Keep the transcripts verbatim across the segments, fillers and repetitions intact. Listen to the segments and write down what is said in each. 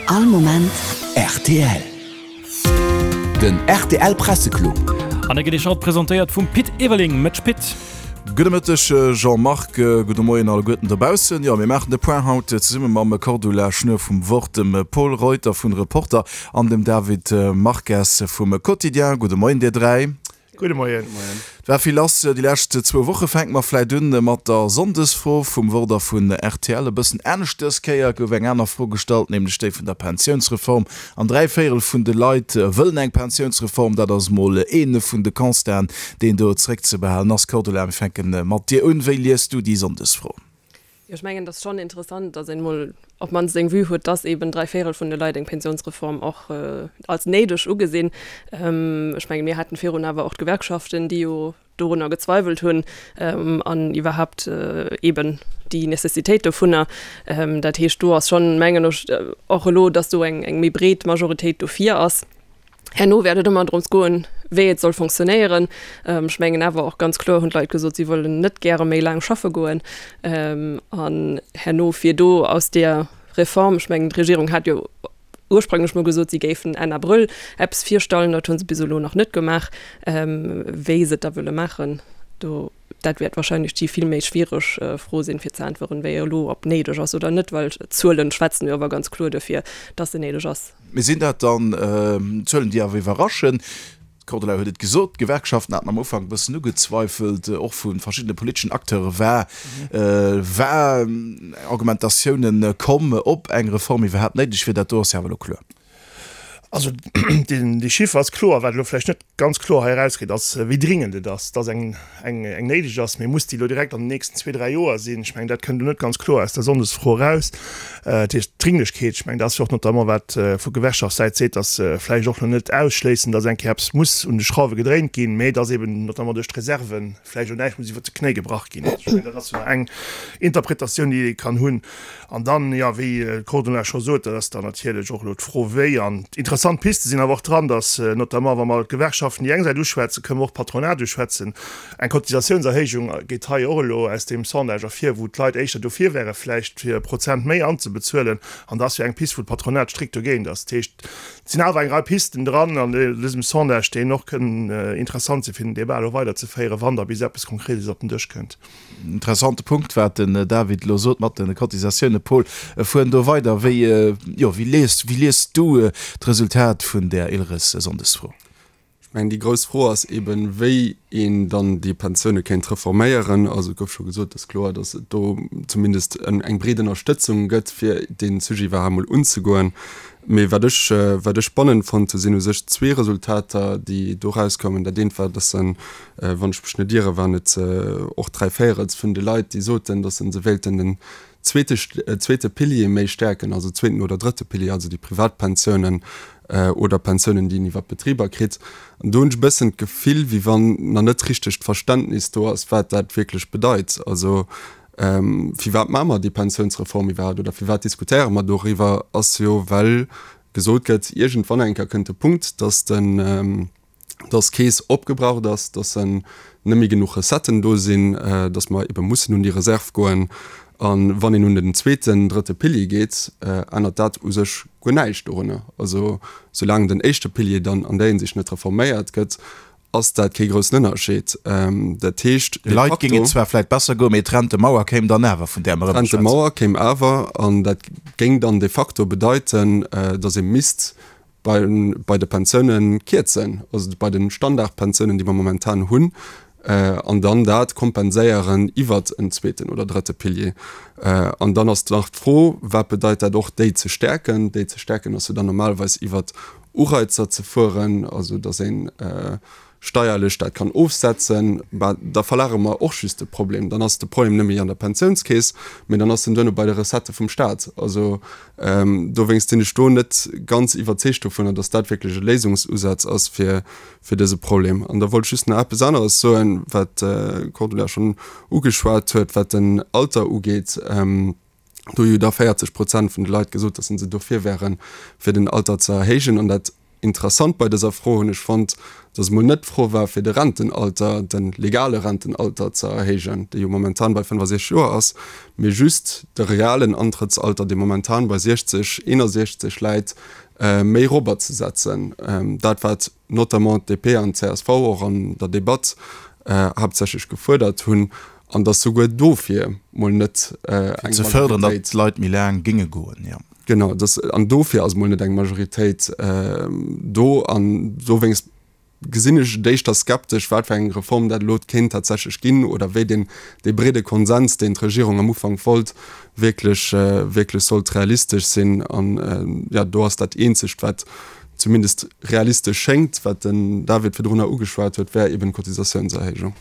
All Moment rtl. Den rtl Presseclub. An e gëtt Iech haut presentéiert vum Pit Everling. Mëtsch Pit. Gudde Mëtteg Jean-Marc, gudde Moien alleguerten dobaussen. Jo, mir maachen de Point haut zesumme mam Cordula Schnuer vum Wort, dem Pol Reuter vun Reporter an dem David Marques vum Quotidien. Gudde Moien dir dräi. Gudde Moien. Et war vill lass déi lescht zwou Woche. Fänke mer vläit un mat der Sonndesfro vum Wort a vun rtl. E bëssen anescht dës Kéier gouf eng aner Fro gestallt, nämlech déi vun der Pensiounsreform. An dräi Véierel vun de Leit wëllen eng Pensiounsreform. Dat ass mol ee vun de Constaten, deen do zréckzebehalen ass. Cordula, mir fänke mat dir un. Wéi liest du déi Sonndesfro? Jo, ech mengen, et ass schonn interessant, datt een emol op d'mannst eng Vue huet, datt eeben dräi Véierel vun de Leit eng Pensionsreform och als néideg ugesinn. Ech mengen, mir haten virun awer och d'Gewerkschaften, déi jo dorunner gezweiwelt hunn an iwwerhaapt eeben déi Necessitéit dovunner. Dat heescht, do ass schonn, mengen ech, och elo, datt do eng méi breet Majoritéit dofir ass. Herno wäert et ëmmer drëms goen, wéi et soll fonctionnéieren. Ech mengen awer och ganz kloer hunn d'Leit gesot, si wëllen net gäre méi laang schaffe goen. An herno fir do aus där Reform, ech mengen d'Regierung hat jo ursprünglech mol gesot, si géifen Enn Abrëll eppes virstallen, dat hu se bis elo nach net gemaach. Wéi se et da wëlle maachen, do, dat wäert wahrscheinlech déi vill méi schwiereg Fro sinn, fir ze äntweren, wéi elo, ob néideg ass oder net, well d'Zuelen schwätzen jo awer ganz kloer dofir, dass se néideg ass. Mee sinn dat dann Zuelen, déi awer iwwerraschen? D'Cordula huet et gesot, d'Gewerkschaften haten am Ufank e bëssen ugezweifelt, och vu verschiddene politeschen Acteure war war Argumentatiounen komm, ob eng Reform iwwerhaapt néideg wier. Dat do ass jo awer elo kloer. Also dee Chiffer ass kloer. Wat elo vläicht net ganz kloer hei erausgeet, ass, wéi dringend et ass, dass eng eng néideg ass. Mee muss déi elo direkt an den nächsten zwee, dräi Joer sinn? Ech mengen, dat kënnt elo net ganz kloer aus der Sonndesfro eraus. Dat heescht, d'Dringlechkeet, ech mengen, dat ass jo och notamment, wat vu Gewerkschaftssäit seet, dass se vläicht och elo net ausschléissen, dass eng Kéier eppes muss un de Schrauwe gedréint ginn, mee dass eeben notamment duerch d'Reserven vläicht och näischt muss iwwert de Knéi gebrach ginn. Ech mengen, dat ass jo nach eng Interpretatioun, déi ee kann hunn. An dann, jo, wéi d'Cordula scho sot, dat ass dann natierlech och elo d'Fro, wéi. An interessant Piste sinn awer och dran, dass notamment, wa mer d'Gewerkschaften déi eng Säit uschwätzen, kënnen mer och d'Patronat uschwätzen. Eng Cotisatiounserhéijung geet hei och elo aus deem Sondage ervir, wou d'Leit éischter dofir wäre vläicht, fir e Prozent méi anzebezuelen. An dat ass jo eng Pist, wou d'Patronat strikt dogéint ass. Dat heescht, et sinn awer eng Rei Pisten dran an dësem Sondage, déi och kënnen interessant sinn, fir den Débat elo weiderzeféieren, wann da bis eppes Konkretes op den Dësch kënnt. Interessante Punkt, wat den David elo sot mat de Cotisatiounen. Paul, fueren do weider. Wéi, jo, wéi liest, wéi liest du d'Resultat vun där ILReS-Sonndesfro? Ech mengen, déi grouss Fro ass eeben, wéi een dann déi Pensioune kéint reforméieren. Also et gouf scho gesot, et ass kloer, datt et do zumindest eng breet Ënnerstëtzung gëtt, fir dee Sujet iwwerhaapt mol unzegoen. Mee wat ech, wat ech spannend fonnt hu sinn u sech zwee Resultater, déi do erauskoumen. Dat eent war, datt se, wann ech mech net iere, waren et och dräi Véierels vun de Leit, déi soten, datt se wéilten den zweete, zweete Pilier méi stäerken, also zweeten oder drëtte Pilier, also déi privat Pensiounen oder Pensiounen, déi een iwwer d'Betriber kritt. An do hunn ech e bëssen d'Gefill, wéi wann nach net richteg d'Verständnis do ass, wat dat wierklech bedeit. Also Firwat maache mer déi Pensiounsreform iwwerhaapt oder firwat diskutéiere mer doriwwer, ass jo, well gesot gëtt, iergendwann eng Kéier kënnt de Punkt, dass den, dass d'Keess opgebraucht ass, dass net méi genuch Recetten do sinn, dass mer ebe mussen un déi Reserv goen. A wann een un den zweeten, drëtte Pilier geet, ännert dat u sech guer näischt dorunner. Also soulaang den éischte Pilier dann an där Hinsicht net reforméiert gëtt, ass dat kee groussen Ënnerscheed. Dat heescht, de Leit géing et zwar vläit besser goen, mee d'Rentemauer kéim dann awer, vun där mer ëmmer schwätzen. D'Rentemauer kéim awer, an dat géing dann de facto bedeiten, datt ee misst bei bei de Pensioune kierzen, also bei de Standardpensiounen, déi mer momentan hunn, an dann dat kompenséieren iwwert en zweeten oder drëtte Pilier. An dann ass nach d'Fro, wat bedeit dat och, déi ze stäerken? Déi ze stäerken ass jo dann normalerweis iwwert Ureizer ze fueren, also datt ee steierlech dat kann ofsetzen, mä da verlagere mer och just de Problem. Dann ass de Problem net méi an der Pensiounskeess, mä dann ass en duerno bei de Recettë vum Staat. Also dowéinst sinn ech do net ganz iwwerzeegt dovunner, datt dat wierklech e Léisungsusaz ass fir dëse Problem. An da wollt ech just nach eppes aneres soen, wat d'Cordula schonn ugeschwat huet, wat den Alter ugeet. Do hu jo da véierzeg Prozent vun de Leit gesot, datt se dofir wären, fir den Alter ze erhéijen. An dat Interessant bei dëser Fro hunn ech fonnt, dass emol net d'Fro war, fir de Rentenalter, de legale Rentenalter ze erhéijen, dee jo momentan bei fënnefasechzeg Joer ass, mee just de realen Antrëttsalter, dee momentan bei siechzeg, eenasiechzeg läit, méi erobberzesetzen. Dat, wat notamment d'DP an d'CSV och an der Debatt haaptsächlech gefuerdert hunn, an dass souguer dofir mol net eng Majoritéit. Fir ze fërderen, datt d'Leit méi laang géinge goen, jo. Genau, dass, an dofir ass mol net eng Majoritéit do. An dowéinst gesinn ech et éischter skeptesch, wat fir eng Reform dat elo kéint tatsächlech ginn oder wéi deen, dee breede Konsens, deen d'Regierung am Ufank wollt, wierklech, wierklech sollt realistesch sinn. An, jo, do ass dat eenzegt, wat zumindest realistesch schéngt, wat den David virdrunner ugeschwat huet, wär eben d'Cotisatiounserhéijung.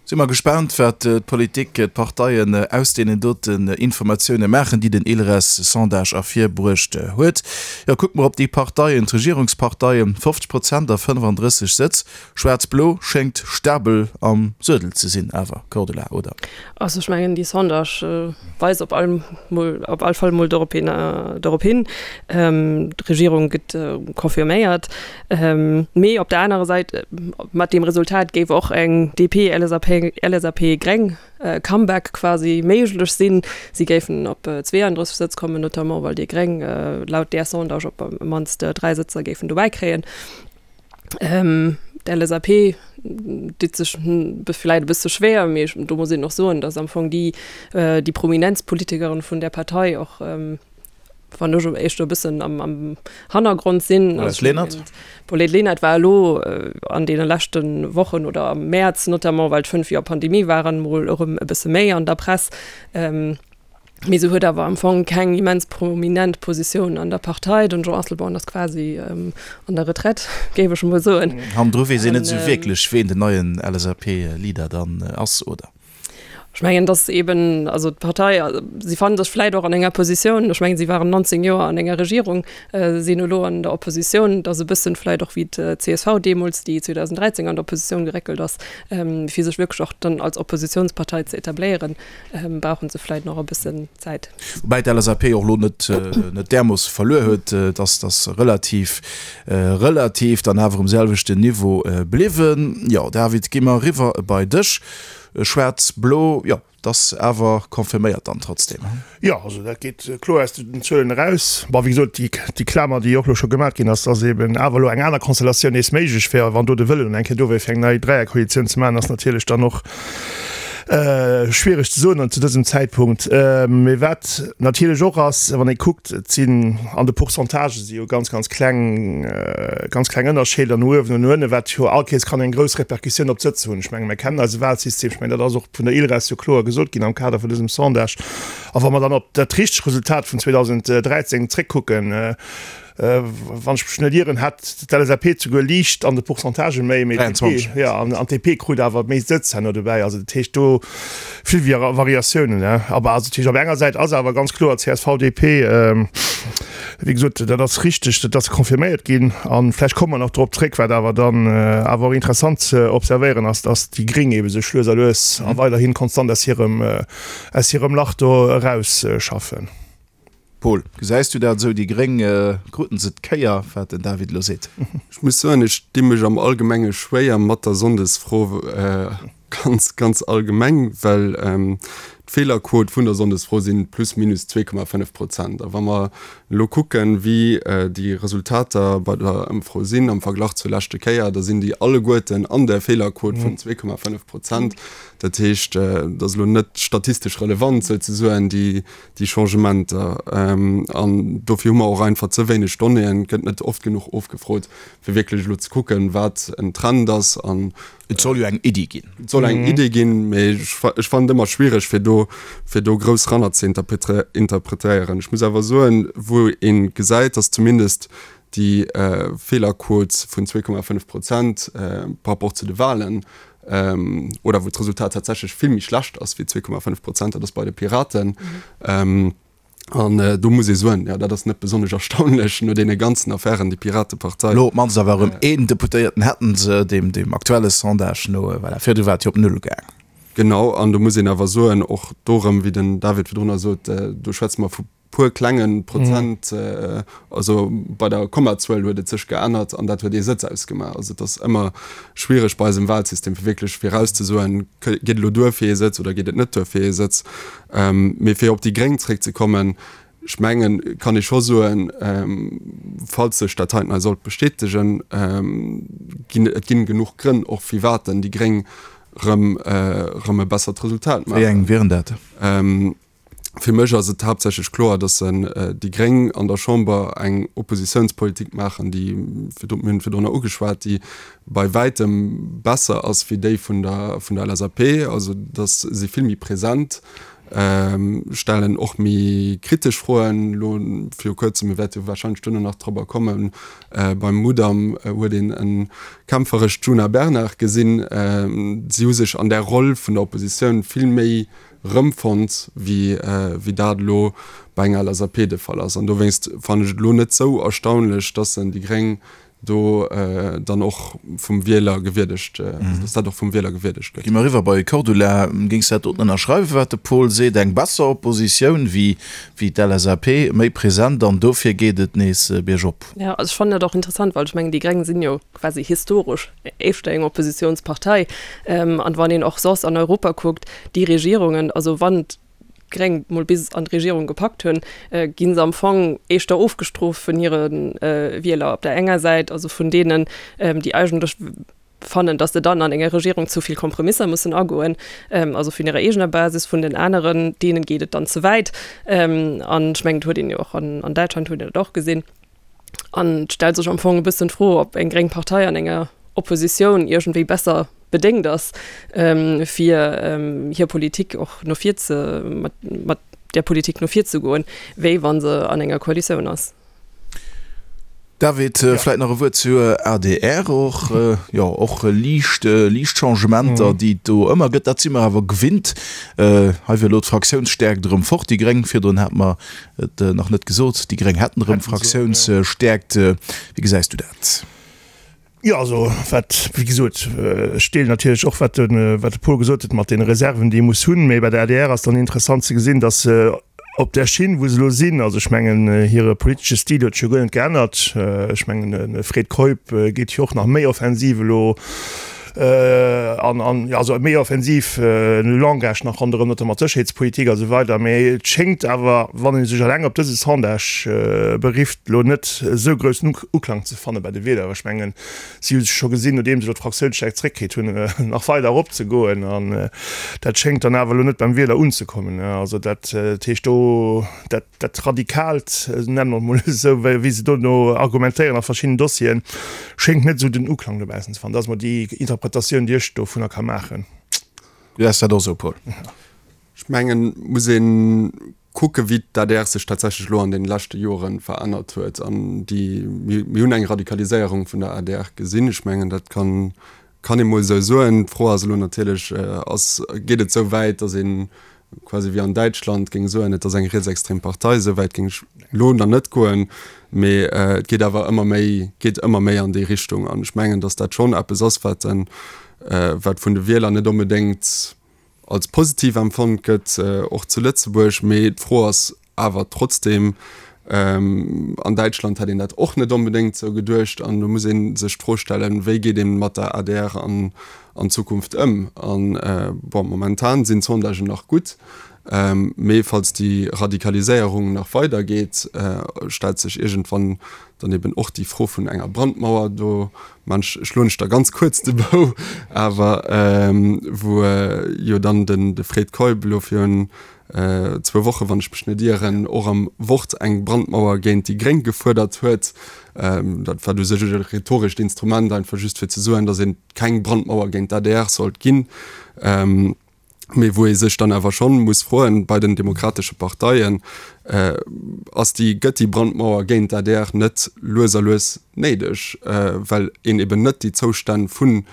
Si mer gespaant, wat d'Politik, d'Parteien aus deenen doten Informatioune maachen, déi den ILReS-Sondage ervirbruecht huet. Jo, kucke mer op déi Parteien, d'Regierungsparteien, fofzeg Prozent a fënnefandrësseg Sëtz. Schwaarz-Blo schéngt stabel am Suedel ze sinn awer, Cordula, oder? Also ech mengen, déi Sondage weist op all mol, op all Fall mol dorop hin, dorop hin. D'Regierung gëtt confirméiert. Mee op der anerer Säit, mat deem Resultat géif och eng D P-L S A P, L S A P-Gréng Comeback quasi méiglech sinn. Si géifen op zweeandrësseg Sëtz kommen, notamment well déi Gréng laut där Sondage op mannst dräi Sëtzer géifen dobäi kréien. D'L S A P deet sech vläit e bësse schwéier, mee do muss een och soen, datt am Fong déi déi Prominenzpolitikeren vun där Partei och, wann ech éischter e bëssen am, am Hannergrond sinn. Paulette Lenert? Paulette Lenert war elo an deene leschte Wochen oder am Mäerz notamment, well d'fënnf Joer Pandemie waren, mol erëm e bësse méi an der Press. Mee se huet awer am Fong keng immens prominent Positioun an der Partei. Den Jean Asselborn ass quasi an der Retraite, géif ech emol soen. Hannendru weess een net esou wierklech, ween den neien L S A P-Leader dann ass, oder? Ech mengen, datt eben, also d'Partei, si fannen sech vläit och an enger Positioun, ech mengen, si waren neunzéng Joer an enger Regierung, sinn elo an der Oppositioun, datt e bëssen vläit och wéi d'C S V deemools, déi zweedausendräizéng an d'Oppositioun geréckelt ass, fir sech wierklech och dann als Oppositionspartei ze etabléieren, brauche se vläit nach e bëssen Zäit. Woubäi d'L S A P och elo net net därmoosse verluer huet, dass dass relativ relativ dann awer um selwechten Niveau bliwwen. Jo, David, gi mer eriwwer bei dech. Schwaarz-Blo, jo, et ass awer confirméiert dann trotzdem, he? Jo, also dat geet kloer aus den Zuelen eraus. Bon, wéi gesot, déi, déi Klamer, déi och elo scho gemaach ginn ass, dass eben awer elo eng aner Konstellatioun nees méiglech wär, wann do de Wëllen eng Kéier do wär, fir eng nei Dräierkoalitioun ze maachen, ass natierlech dann och schwiereg ze soen zu dësem Zäitpunkt. Mee wat natierlech och ass, wann ee kuckt, et sinn an de Pourcentagë si jo ganz, ganz kleng, ganz kleng Ënnerscheeder no uewen an no ënnen, wat jo all Kéiers kann eng grouss Repercussioun op d'Sëtz hunn. Ech menge mir kennen eise Wahlsystem, ech mengen dat ass och vun der ILReS jo kloer gesot ginn am Kader vun dësem Sondage. A wa mer dann op dat richtegt Resultat vun zweedausendräizéng zréckkucken, wann ech mech net ieren, hat d'L S A P souguer liicht an de Pourcentagë méi, mee d'D P, jo, an d'D P krut awer méi Sëtz herno dobäi. Also dat heescht do vill Variatiounen. Aber also dat heescht op enger Säit ass awer ganz kloer C S V, D P, wéi gesot, dat ass richteg, dat ass confirméiert ginn. A vläicht komme mer nach drop zréck, wat awer dann awer och interessant ze observéieren ass, datt déi Gréng eebe sech lues a lues a weiderhi konstant aus hirem, aus hirem Lach do erausschaffen. Paul, gesäis du dat esou, déi Gréng, kruten se d'Kéier, wat den David elo seet? Ech muss soen, ech di mech am Allgemenge schwéier mat der Sonndesfro, ganz, ganz allgemeng, well d'Feelerquot vun der Sonndesfro si plus minus zwee Komma fënnef Prozent. A wa mer elo kucken, wéi déi Resultater bei der Ëmfro sinn am Verglach zur leschte Kéier, da sinn déi alleguerten an der Feelerquot vun zwee Komma fënnef Prozent. Dat heescht, et ass elo net statistesch relevant souzesoen, déi déi Changementer. An dofir hu mer och einfach ze wéineg Donnéeën, et gëtt net oft genuch ofgefrot, fir wierklech elo ze kucken, wat en Trend ass. An Et soll jo eng Iddi ginn. Et soll eng Iddi ginn, mee ech fannen et ëmmer schwiereg, fir do, fir do grouss ranner ze interpretéieren. Ech muss awer soen, wou ee gesäit, datt zumindest déi Feelerquot vun zwee Komma fënnef Prozent par rapport zu de Wahlen, oder wou d'Resultat tatsächlech vill méi schlecht ass wéi zwee Komma fënnef Prozent, dat ass bei de Piraten. An do muss ee soen, jo, dat ass net besonnesch erstaunlech no deene ganzen Affären, déi Piratepartei. Elo op d'mannst awer erëm een Deputéierten hätten se, deem deem aktuelle Sondage no, voilà, virdu war et jo op null gaang. Genau, an do muss een awer soen, och do erëm, wéi den David virdrunner sot, do schwätze mer vu puer klenge Prozent, also bei der Kommazuel huet et sech geännert an dat huet ee Sëtz ausgemaach. Also et ass ëmmer schwiereg bei eisem Wahlsystem fir wierklech virauszesoen, geet et elo duer fir ee Sëtz oder geet et net duer fir ee Sëtz. Mee fir op déi Gréng zréckzekommen, ech mengen, kann ee scho soen, falls sech dat heiten hei sollt bestätegen, ginn et ginn genuch Grënn och firwat déi Gréng rëm rëm e bessert Resultat maachen. Wéi eng wieren dat? Fir mech ass et haaptsächlech kloer, datt déi Gréng an der Chamber eng Oppositiounspolitik maachen, déi, mir hunn et virdrunner ugeschwat, déi bei wäitem besser ass wéi déi vun der vun der L S A P. Also datt si vill méi present, stellen och méi kritesch Froen. Elo viru kuerzem, mir wäerte jo wahrscheinlech duerno nach dorobber kommen, beim Mudam huet een e kämpferescht Djuna Bernard gesinn. Si hu sech an där Roll vun der Oppositioun vill méi rëmfonnt, wéi wéi dat elo bei enger L S A P de Fall ass. An dowéinst fannen ech et elo net sou erstaunlech, dass en déi Gréng do dann och vum Wieler gewierdegt, dass dat och vum Wieler gewierdegt gëtt. Gi mer eriwwer bei Cordula. Géings dat doten ënnerschreiwen, wat de Paul seet, eng besser Oppositioun wéi wéi d'L S A P, méi present an dofir geet et nees biergop? Jo, also ech fannen dat och interessant, well ech mengen, déi Gréng sinn jo quasi historesch éischter eng Oppositionspartei. An wann een och soss an Europa kuckt, déi Regierungen, also wann d'Gréng mol bis an d'Regierung gepackt hunn, gi se am Fong éischter ofgestrooft vun hire Wieler op der enger Säit, also vun deenen, déi eigentlech fannen, datt se dann an enger Regierung zu vill Kompromisser mussen agoen, also vun hirer eegener Basis, vun den aneren, deenen geet et dann ze wäit. An ech mengen, et huet een jo och an Däitschland huet een dat och gesinn. An et stellt sech am Fong e bëssen d'Fro, ob eng gréng Partei an enger Oppositioun iergendwéi besser bedéngt ass, fir hir Politik och no vir ze, mat, mat där Politik no vir ze goen, wéi wa se an enger Koalitioun ass. David, vläit nach e Wuert zur A D R och. Jo, och liicht, liicht Changementer, déi et do ëmmer gëtt, dat si mer awer gewinnt. Hei wier elo d'Fraktiounsstäerkt erëm fort, déi Gréng. Virdrun hate mer et nach net gesot, déi Gréng hätten erëm Fraktiounsstäerkt. Wéi gesäis du dat? Jo, also wat, wéi gesot, ech deelen natierlech och, wat de, wat de Paul gesot huet mat deene Reserven, déi ee muss hunn. Mee bei der A D R ass dann interessant ze gesinn, datt se op där Schinn, wou se elo sinn, also ech mengen, hire politesche Stil huet sech jo guer net geännert. Ech mengen, de Fred Keup geet jo och nach méi offensiv elo an, an, jo, also méi offensiv Langage nach ronderëm, notamment d'Sécherheetspolitik a sou weider. Mee et schéngt awer, wann ee sech eleng op dëse Sondage berifft, elo net esou groussen Uklang ze fanne bei de Wieler. Ech mengen, si hu sech scho gesinn, nodeem se elo d'Fraktiounsstäerkt zréckkritt hunn, nach weider eropzegoen. An dat schéngt dann awer elo net beim Wieler unzekommen. Also dat heescht do, dat, dat Radikaalt, nennen mer et emol esou, wéi se dono argumentéieren a verschiddenen Dossieren, schéngt net esou den Uklang dobaussen ze fannen. Dat ass emol déi Interpretatioun, déi ech dovunner ka maachen. Du häss dat och esou, Paul? Ech mengen, muss ee kucke wéi d'A D R sech tatsächlech elo an deene leschte Jore verännert huet. An déi, mir hunn eng Radikaliséierung vun der A D R gesinn. Ech mengen, dat kann, kann ee mol esou soen. D'Fro ass elo natierlech, ass, geet et esou wäit, datt ee quasi wéi an Däitschland géing soen, et ass eng rietsextrem Partei. Esou wäit géing ech elo nach net goen, mee et geet awer ëmmer méi, geet ëmmer méi an déi Richtung. An ech mengen, datt dat schonn eppes ass, wat, wat vun de Wieler net onbedéngt als positiv empfonnt gëtt, och zu Lëtzebuerg. Mee d'Fro ass awer trotzdeem, an Däitschland hätt een dat och net onbedéngt esou geduecht. An do muss ee sech d'Fro stellen, wéi geet ee mat der A D R an an Zukunft ëm? An bon, momentan sinn d'Sondagen nach gutt, mee falls déi Radikaliséierung nach weidergeet, stellt sech iergendwann dann eben och déi Fro vun enger Brandmauer. Do maan ech, schloen ech da ganz kuerz de Bou, awer wou jo dann den de Fred Keup elo virun zwou Woche, wann ech mech net ieren, och am Wort eng Brandmauer géint déi Gréng gefuerdert huet. Dat war u sech e rhetorescht Instrument, einfach just fir ze soen, datt een keng Brandmauer géint d'A D R sollt ginn. Mee wou ee sech dann awer schonn muss froen, bei den demokratesche Parteien, ass déi, gëtt déi Brandmauer géint d'A D R net lues a lues néideg, well een eben net déi Zoustänn vun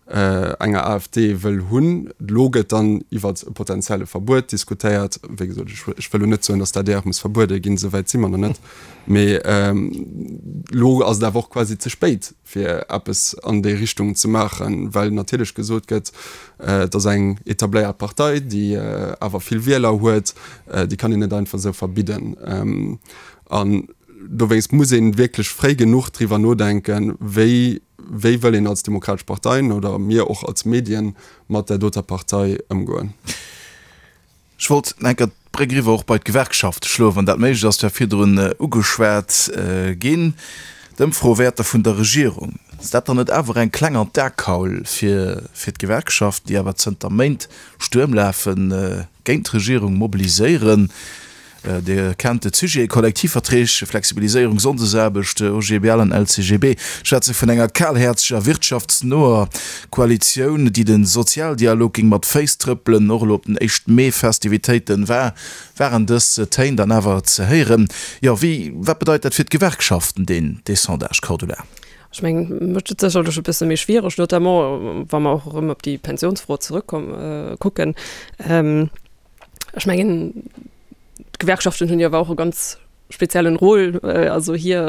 enger AfD wëll hunn. Elo gëtt dann iwwert e potenzielle Verbuet diskutéiert. Wéi gesot, ech wëll elo net soen, datt d'ADR muss verbuede ginn, esou wäit si mer nach net. Mee elo ass et awer och quasi ze spéit, fir eppes an déi Richtung ze maachen, well natierlech gesot gëtt, et ass eng etabléiert Partei, déi awer vill Wieler huet, déi kann een net einfach esou verbidden. An dowéinst muss ee wierklech fréi genuch driwwer nodenken, wéi wéi wëll een als Demokratesch Parteien oder mir och als Medien mat där doter Partei ëmgoen. Ech wollt enker d'Bréck eriwwer och bei d'Gewerkschafte schloen, wann dat méiglech ass. Dat war virdrun ugeschwat ginn, d'Ëmfrowäerter vun der Regierung. Ass dat dann net awer eng kleng an d'Akaul fir fir d'Gewerkschaften, déi awer zënter Méint Stuerm lafen, géint d'Regierung mobiliséieren? Dir kennt de Sujet, Kollektivverträg, Flexibiliséierung, Sonndesaarbecht, OGBL an LCGB schwätze vun enger kalhäerzeger, wirtschaftsnoer Koalitioun, déi de Sozialdialog géing mat Féiss trëppelen. Och elo op den éischt Mee-Festivitéiten war waren dës Téin dann awer ze héieren. Jo, wéi, wat bedeit dat fir d'Gewerkschaften, deen dee Sondage, Cordula? Ech mengen, et mécht et sécherlech e bësse méi schwiereg, notamment wa mer och erëm op déi Pensiounsfro zerëckkomm kucken. Ech mengen, d'Gewerkschaften hunn jo awer och e ganz speziellen Rôle. Also hir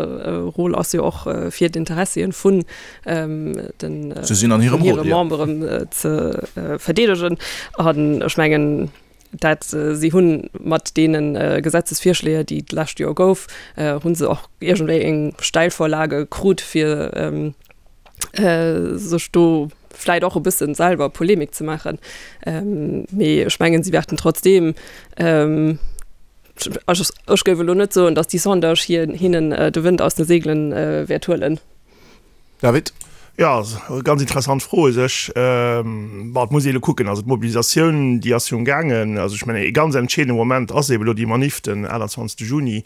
Rôle ass jo och fir d'Interessien vun den vun hire Memberen ze verdeedegen. An ech mengen, dat si hunn mat deene Gesetzesvirschléier, déi d'lescht Joer gouf, hu se och iergendwéi eng Steilvorlage krut fir sech do vläit och e bëssen selwer Polemik ze maachen. Mee ech mengen, si wäerten trotzdeem, also ech géif elo net soen, datt déi Sondage hir hinnen de Wënd aus de Seegelen wäert huelen. David? Jo, ganz interessant Fro u sech. Bon, et muss ee elo kucken, also d'Mobilisatioun, déi ass jo amgaangen. Also ech mengen, ee ganz entscheedende Moment ass eeben elo déi Manif den aachtundzwanzegste Juni.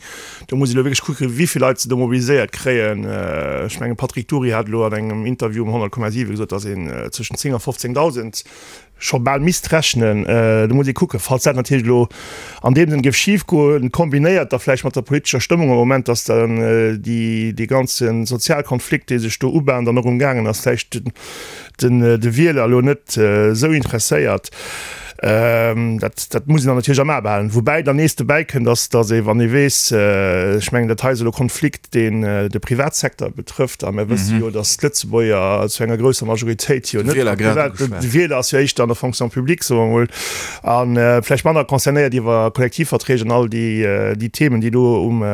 Do muss ee elo wierklech kucken, wéi vill Leit se do mobiliséiert kréien. Ech mengen, Patrick Dury hat elo an engem Interview um honnert Komma siwe gesot, datt een zwëschen zéng a fofzéngdausend scho bal misst rechnen. Do muss ee kucken, falls dat natierlech elo an deem Sënn géif schifgoen, kombinéiert da vläicht mat der politescher Stëmmung am Moment, datt dann déi, dee ganze Sozialkonflikt, dee sech do ubahnt an och umgaangen ass, vläicht den, de Wieler elo net esou interesséiert. Dat, dat muss een dann natierlech am A behalen. Woubäi dann nees dobäi kënnt, ass, datt ee, wann ee weess, ech mengen, dat hei ass elo Konflikt, deen de Privatsecteur betrëfft, a mir wësse jo, datt d'Lëtzebuerger zu enger grousser Majoritéit jo net am Privat, de Wieler ass jo éischter an der Fonction publique, soe mer emol, a vläicht manner concernéiert iwwer Kollektivverträg an all déi, déi Themen, déi do um,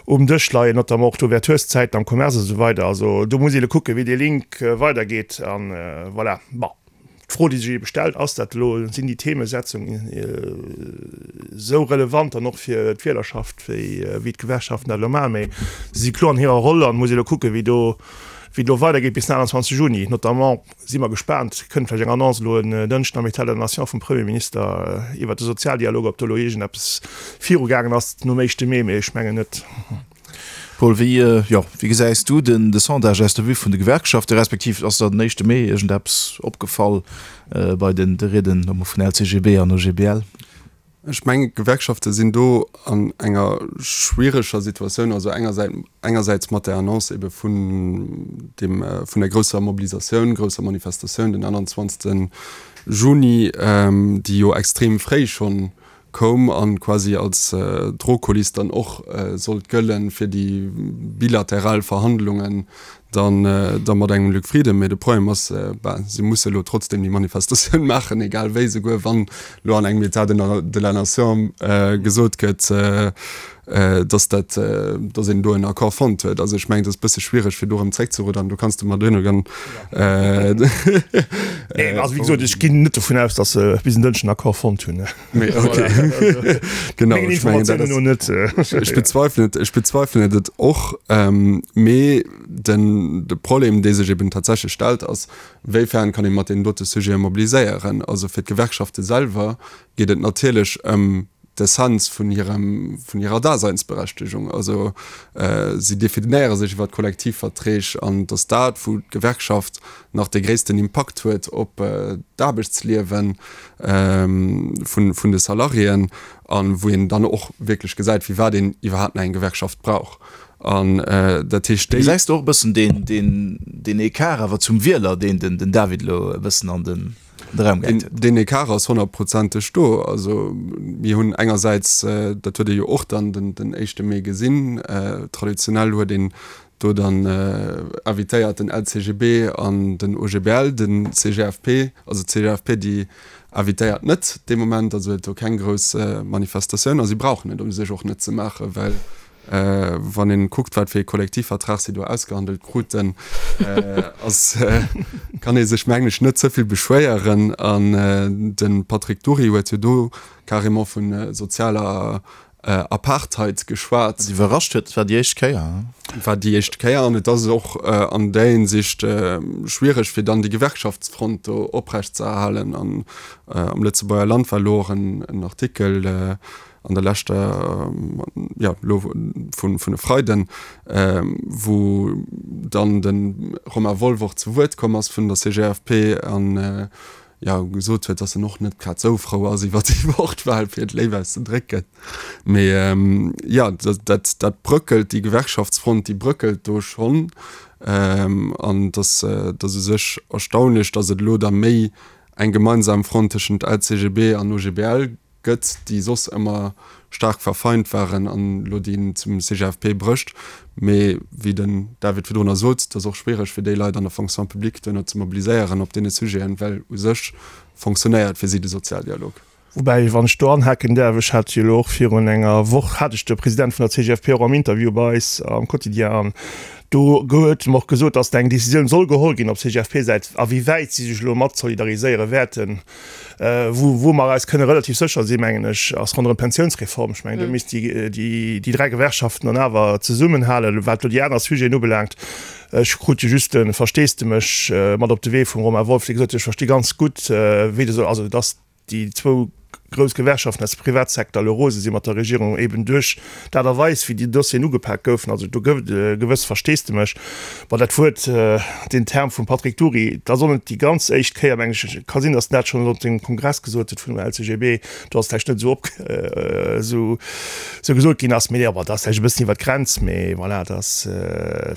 um Dësch leien, notamment och d'Ouverturszäiten am Commerce a sou weider. Also do muss ee elo kucken, wéi dee Link weidergeet a voilà. Bon. D'Fro, déi sech eebe stellt, Ass dat elo, sinn déi Themesetzung esou relevant dann och fir d'Wielerschaft, wéi wéi d'Gewerkschaften dat elo maachen? Mee se si kloer an hirer Roll an et muss ee elo kucken, wéi do, wéi et elo weidergeet bis den aachtundzwanzeg Juni. Notamment si mer gespaant, kënnt vläicht eng Annonce elo en Dënschden am État de la Nation vum Premierminister iwwert de Sozialdialog, ob do elo iergendeppes virugaangen ass nom éischte Mee, mee ech mengen net. Paul, wéi, jo, wéi gesäis du den de Sondage aus der Vue vun de Gewerkschaften, respektiv ass der den éischte Mee iergendeppes opgefall bei den de Rieden notamment vun L C G B an O G B L? Ech mengen, d'Gewerkschafte sinn do an enger schwiereger Situatioun, also engersäits engersäits mat der Annonce ebe vun dem vun der grousser Mobilisatioun, grousser Manifestatioun den aachtundzwanzegste Juni, déi jo extrem fréi schonn koum an quasi als Drohkuliss dann och sollt gëllen fir déi bilateral Verhandlungen dann da mat engem Luc Frieden. Mee de Problem ass, ben, si musse elo trotzdem déi Manifestatioun maachen, egal wéi, souguer wann elo an engem État de la Nation gesot gëtt, dass dat, dass een do en Accord fonnt huet. Also ech mengen, et ass e bësse schwiereg fir do erëm zréckzeruddern. Do kanns de mer duerno dann. Nee, also wéi gesot, ech ginn net dovun aus, dass se bis en Dënschden en Accord fonnt hunn. Mee okay. Genau, ech mengen, dat ass, ech bezweifelen et, ech bezweifelen et och. Mee den, de Problem, dee sech eben tatsächlech stellt, ass, Wéifern kann ee mat deenen dote Sujete mobiliséieren? Also fir d'Gewerkschafte selwer geet et natierlech ëm d'Essenz vun hirem, vun hirer Daseinsberechtegung. Also si definéiere sech iwwer d'Kollektivverträg an et ass dat, wou d'Gewerkschaft nach dee gréissten Impakt huet op d'Aarbechtsliewe vun, vun de Salariéen a wou een dann och wierklech gesäit, firwat een iwwerhaapt nach eng Gewerkschaft brauch. An dat heescht, déi. Gesäis de och e bëssen deen, deen, deen Ecart awer zum Wieler, deen den, den David elo e bëssen an den, an de Raum gehäit huet? Deen Ecart ass honnertprozenteg do. Also mir hunn engersäits, dat huet ee jo och dann den, den éischte Mee gesinn, traditionell huet een do dann invitéiert den L C G B an den O G B L, den C G F P, also d'C G F P déi invitéiert net dee Moment, also huet do keng grouss Manifestatioun a si brauchen et u sech och net ze maachen, well wann een kuckt wat fir ee Kollektivvertrag si do ausgehandelt kruten, ass kann ee sech mengen ech net ze vill beschwéieren. An de Patrick Dury huet jo do carrément vu sozialer Apartheid geschwat. Wat iwwerrascht huet, et war déi éischt Kéier. Et war déi éischt Kéier an et ass och an där Hinsicht schwiereg, fir dann déi Gewerkschaftsfront do oprecht ze erhalen. An am Lëtzebuerger Land war elo och en Artikel an der leschter, jo, elo vun e Freiden, wou dann de Romain Wolff och zu Wuert komm ass vun der C G F P an jo, gesot huet, datt en och net grad esou frou ass iwwer déi Wortwahl, fir et léif auszedrécken. Mee jo, dat, dat bröckelt, déi Gewerkschaftsfront, déi bröckelt do schonn. An et ass, et ass u sech erstaunlech, datt et elo da méi eng gemeinsam Front tëschent L C G B an O G B L gëtt, déi soss ëmmer staark verfeint waren, an elo déi zum C G F P brécht. Mee wéi den David virdrunner sot, et ass och schwiereg fir déi Leit an der Fonction publique duerno ze mobiliséieren op deene Sujeten, well u sech fonctionnéiert fir si de Sozialdialog. Woubäi, wann ech do anhaken däerf, ech hat jo elo och virun enger Woch hat ech de President vun der C G F P och am Interview bei eis am Quotidien an do huet en och gesot, datt eng Décisioun soll geholl ginn op C G F P-Säit, a wéi wäit si sech elo mat solidariséiere wäerten. Wou, wou mer eis kënne relativ sécher sinn, mengen ech, ass ronderëm d'Pensiounsreform. Ech mengen, do misst déi, déi, déi dräi Gewerkschaften dann awer zesummenhalen. Wat elo déi aner Sujeten ubelaangt, ech krut jo just de Versteesdemech mat op de Wee vum Romain Wolff, dee gesot huet, ech versti ganz gutt, wéi de, also datt déi zwou grouss Gewerkschaften aus dem Privatsecteur elo rose si mat der Regierung, eben duerch d'Aart a Weis, wéi déi Dossieren ugepak goufen. Also do gouf et e gewësst Versteesdemech. Bon, dat Wuert, deen Term vum Patrick Dury, dat ass och net déi ganz éischt Kéier, mengen ech. Et ka sinn, datt en dat schonn op sengem Kongress gesot huet vun dem L C G B, do ass et vläicht net esou op, esou gesot ginn ass. Mee bon, dat ass vläicht e bëssen iwwer d'Grenz. Mee voilà, dat ass,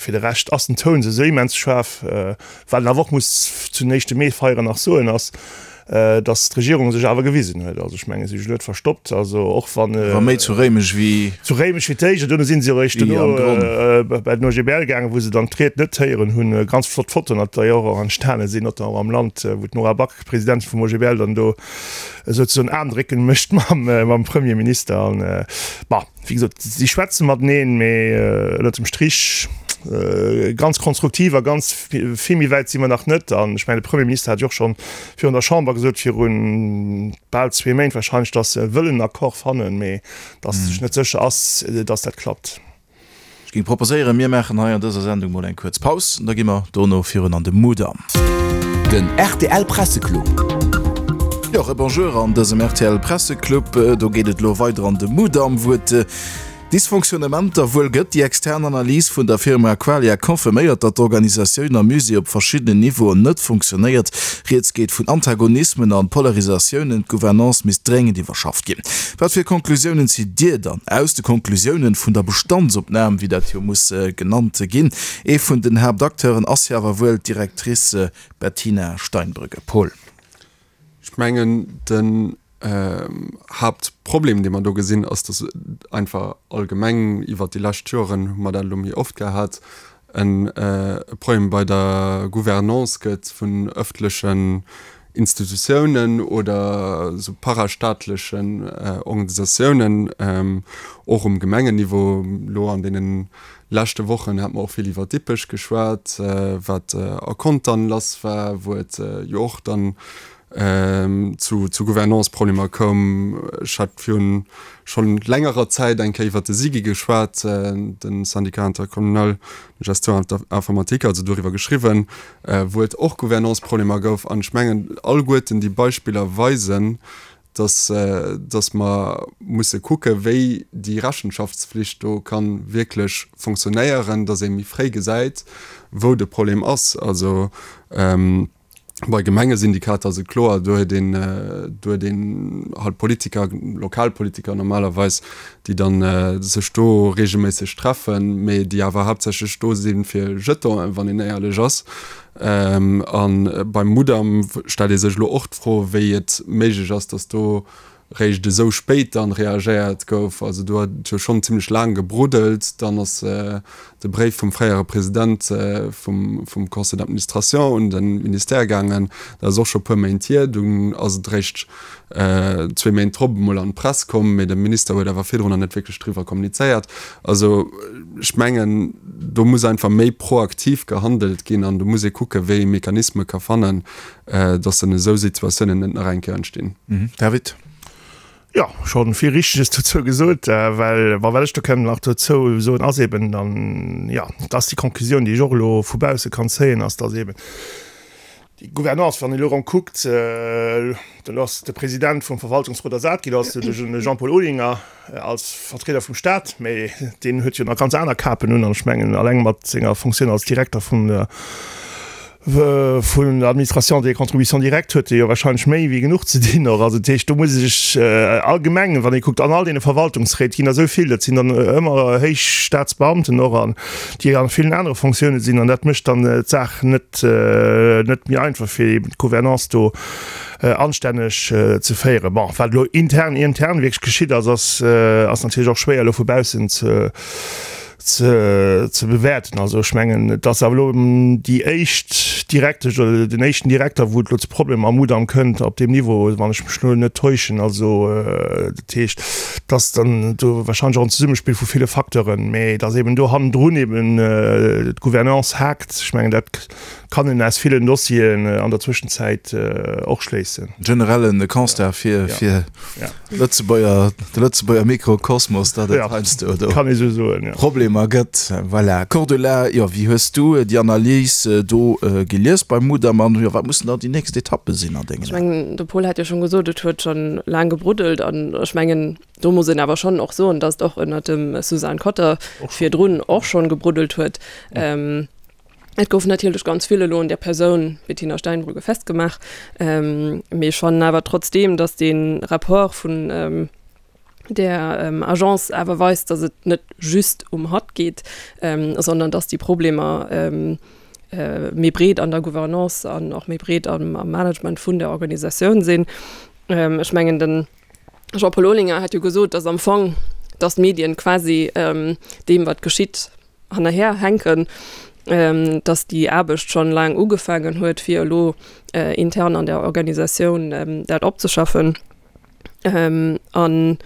fir de Rescht ass den Toun esou immens schaarf. Wat een awer och muss zu den éischte Mee-Feieren nach soen, ass, dass d'Regierung sech awer gewisen huet. Also ech menge si sech net verstoppt, also och wann. War méi zu Réimech wéi. Zu Réimech fir d'éischt, an duerno si se eréischt duerno bei den O G B L gaangen, wou se dann d'Ried net héieren hunn. Ganz flott Fotoen d'ailleurs och entstane sinn, notamment am Land, wou d'Nora Back, Presidentin vum O G B L, dann do souzesoen Aarmdrécken mécht mam Premierminister. An bon, wéi gesot, si schwätze mateneen, mee ënnert dem Strich ganz konstruktiv a ganz vill méi wäit si mer nach net. An ech mengen, de Premierminister hat jo och schonn virun der Chamber gesot, viru bal zwee Méint wahrscheinlech, datt se wëllen en Accord fannen, mee datt sech net sécher ass, datt dat klappt. Ech géing proposéieren, mir maachen hei an dëser Sendung mol eng kuerz Paus an da gi mer dono virun an de Mudam. Den R T L Presseclub. Jo, Rebonjour an dësem R T L Presseclub. Do geet et elo weider an de Mudam, wou et Dysfonctionnementer wuel gëtt. Déi extern Analys vun der Firma Qualia confirméiert, datt d'Organisatioun am Musée op verschiddenen Niveauen net funktionéiert. Rieds geet vun Antagonismen an Polarisatiounen. D'Gouvernance misst dréngend iwwerschafft ginn. Wat fir Conclusiounen zitt Dir dann aus de Conclusiounen vun der Bestandsopnam, wéi dat jo muss genannt ginn? Ee vun den Haaptacteuren ass jo awer wuel d'Directrice Bettina Steinbrügge. Paul. Ech mengen, den Haaptproblem, dee mer do gesinn, ass, dass einfach allgemeng iwwert déi lescht Joren, hu mer dat elo méi oft gehat, e Problem bei der Gouvernance gëtt vun ëffentlechen Institutiounen oder esou parastaatlechen Organisatiounen, och um Gemengenniveau. Elo an deene leschte Wochen hat mer och vill iwwer Dippech geschwat, wat a Contern lass war, wou et jo och dann zu zu Gouvernance-Problemer koum. Ech hat virun schonn längerer Zäit eng Kéier iwwer de SIGI geschwat, de Syndicat intercommunal de gestion informatique, also doriwwer geschriwwen, wou et och Gouvernance-Problemer gouf. An ech mengen, alleguerten déi Beispiller weisen, dass dass mer musse kucke wéi déi Rechenschaftsflicht do ka wierklech fonctionnéieren, dass ee méi fréi gesäit, wou de Problem ass. Also Bei Gemengesyndikater ass et kloer, do huet een, do huet een halt Politiker, Lokalpolitiker normalerweis, déi dann sech do reegelméisseg treffen, mee déi awer haaptsächlech do si fir Jetonen, wann een éierlech ass. A beim Mudam stellt ee sech elo och d'Fro, wéi et méiglech ass, datt do réischt esou spéit dann reagéiert gouf. Also do huet et jo schonn zimlech laang gebruddelt. Dann ass de Bréif vum fréiere President vum vum Conseil d'administration un de Ministère gaangen. Dat ass och scho puer Méint hier. Dunn ass et réischt zwee Méint drop emol an d'Press komm, mee de Minister huet awer virdrunner net wierklech driwwer kommunizéiert. Also ech mengen, do muss einfach méi proaktiv gehandelt ginn an do muss ee kucken, wéi ee Mechanisme ka fannen, dass dann esou Situatiounen net nach eng Kéier entstinn. David. Jo, schonn vill Richteges dozou gesot, well, bon, wat ech do kënnen nach dozou soen, ass eben dann, jo, dass déi Conclusioun, déi ech och elo vu bausse kann zéien, ass, dass eben déi Gouvernance, wann een elo erëm kuckt, do ass de President vum Verwaltungsrot ersat ginn, ass de Jean-Paul Olinger als Vertrieder vum Stat, mä deen huet jo nach ganz aner Kapen un, an ech mengen, alleng mat senger Fonctioun als Direkter vun der Vun der Administration des contributions directes huet e jo wahrscheinlech méi wéi genuch ze dinn och. Also dat heescht, do muss ee sech allgemeng, wann ee kuckt, an all deene Verwaltungsréit ginn der esou vill, dat sinn dann ëmmer héich Staatsbeamten och an déi a villen anere Fonctiounen sinn an dat mécht dann d'Saach net net méi einfach fir eben d'Gouvernance do anstänneg ze féieren. Bon, wat elo intern intern wierklech geschitt ass, ass ass natierlech och schwéier elo vu baussen ze ze bewäerten. Also ech mengen, et ass awer elo déi éischt Direktesch oder den éischten Direkter, wou et elo zu Problemer am Mudam kënnt op deem Niveau, wann ech mech elo net täuschen. Also dat heescht, et ass dann do wahrscheinlech och en Zesummespill vu ville Facteuren, mä datt eben do hannendrun eben d'Gouvernance haakt, ech mengen dat kann een aus villen Dossieren an der Zwëschenzäit och schléissen. Generellen Constat fir fir Lëtzebuerger, de Lëtzebuerger Mikrokosmos, datt et heiansdo do Problemer gëtt. Voilà. Cordula, jo, wéi hues du déi Analys do gelies beim Mudam an jo, wat mussen dann déi nächst Etappe sinn an dengen Ech mengen, de Paul hat jo schonn gesot, et huet schonn laang gebruddelt an ech mengen, do muss een awer schonn och soen, datt et och ënnert dem Suzanne Cotter virdrun och schonn gebruddelt huet. Et gouf natierlech ganz vill elo un där Persoun Bettina Steinbrügge festgemaach, mee ech fannen awer trotzdeem, datt dee Rapport vun där Agence awer weist, datt et net just um hatt geet, sondern datt déi Problemer méi breet an der Gouvernance an och méi breet am Management vun der Organisatioun sinn. Ech mengen, de Jean-Paul Olinger hat jo gesot, datt am Fong, datt d'Medien quasi deem, wat geschitt, hannerher hänken, dass déi Aarbecht schonn laang ugefaangen huet, fir elo intern an der Organisatioun dat opzeschaffen. An,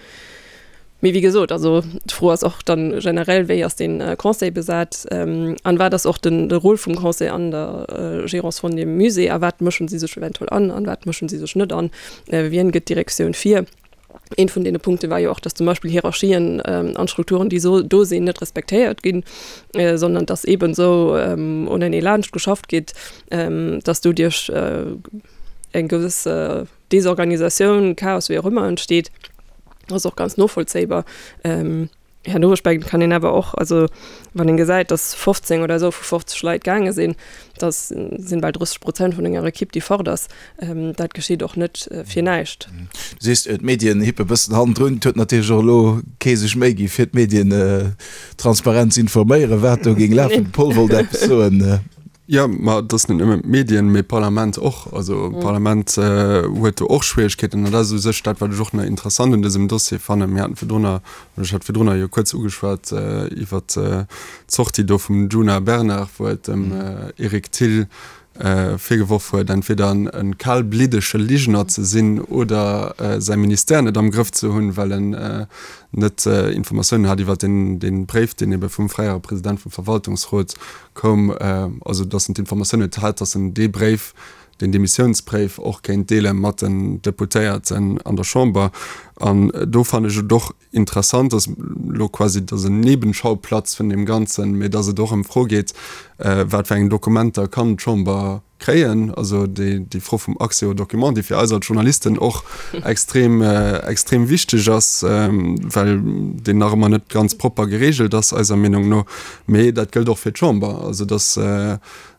mee wéi gesot, also d'Fro ass och dann generell, wéi ass dee Conseil besat an wat ass och den de Rôle vum Conseil an der Gérance vun deem Musée a wat mëschen si sech eventuell an an wat mëschen si sech net an, wien gëtt d'Direktioun vir? Een vun deene Punkte war jo och, dass zum Beispill Hierarchien an Strukturen, déi so do sinn, net respektéiert ginn, sondern dass eeben esou unenee laanscht geschafft gétt, dass doduerch eng gewëss Desorganisatioun, Chaos, wéi och ëmmer entsteet. Ass och ganz novollzéibar. Herno, ech mengen, kann een awer och, also wann een gesäit, dass fofzéng oder esou vu fofzeg Leit gaange sinn, dat sinn bal drësseg Prozent vun enger Ekipp, déi fort ass, dat geschitt och net fir näischt. Du sees, d'Medien hippe bëssen hannendrun. Et huet natierlech och elo kee sech Méi gi fir d'Medien transparent ze informéieren, wat do géing lafen. De Paul wollt eppes soen. Jo, ma et ass net nëmmen d'Medien, mee d'Parlament och. Also d'Parlament huet do och Schwierigkeeten. An dat ass u sech dat, wat ech och nach interessant un dësem Dossier fannen. Mir haten virdrunner, oder ech hat virdrunner jo kuerz ugeschwat iwwert d'Sortie do vum Djuna Bernard, wou et dem Eric Thill virgeworf huet, entweder e kalbliddege Ligner ze sinn oder säi Ministère net am Grëff ze hunn, well en net Informatiounen hat iwwert dee Bréif, deen ebe vum fréiere President vum Verwaltungsrot koum, also datt en d'Informatioun net hat, datt en dee Bréif, deen Demissiounsbréif och kéint deele mat den Deputéierten an der Chamber. An do fannen ech et och interessant, datt elo quasi, datt en Nebenschauplatz vun deem Ganzen, mä datt et och ëm d'Fro geet, wat fir eng Dokumenter kann d'Chamber kréien, also déi, déi Fro vum Accès aux documents, déi fir eis als Journalisten och extrem, extrem wichteg ass, well deen nach ëmmer net ganz propper geregelt ass, eiser Meenung no. Mee dat gëllt och fir d'Chamber, also dass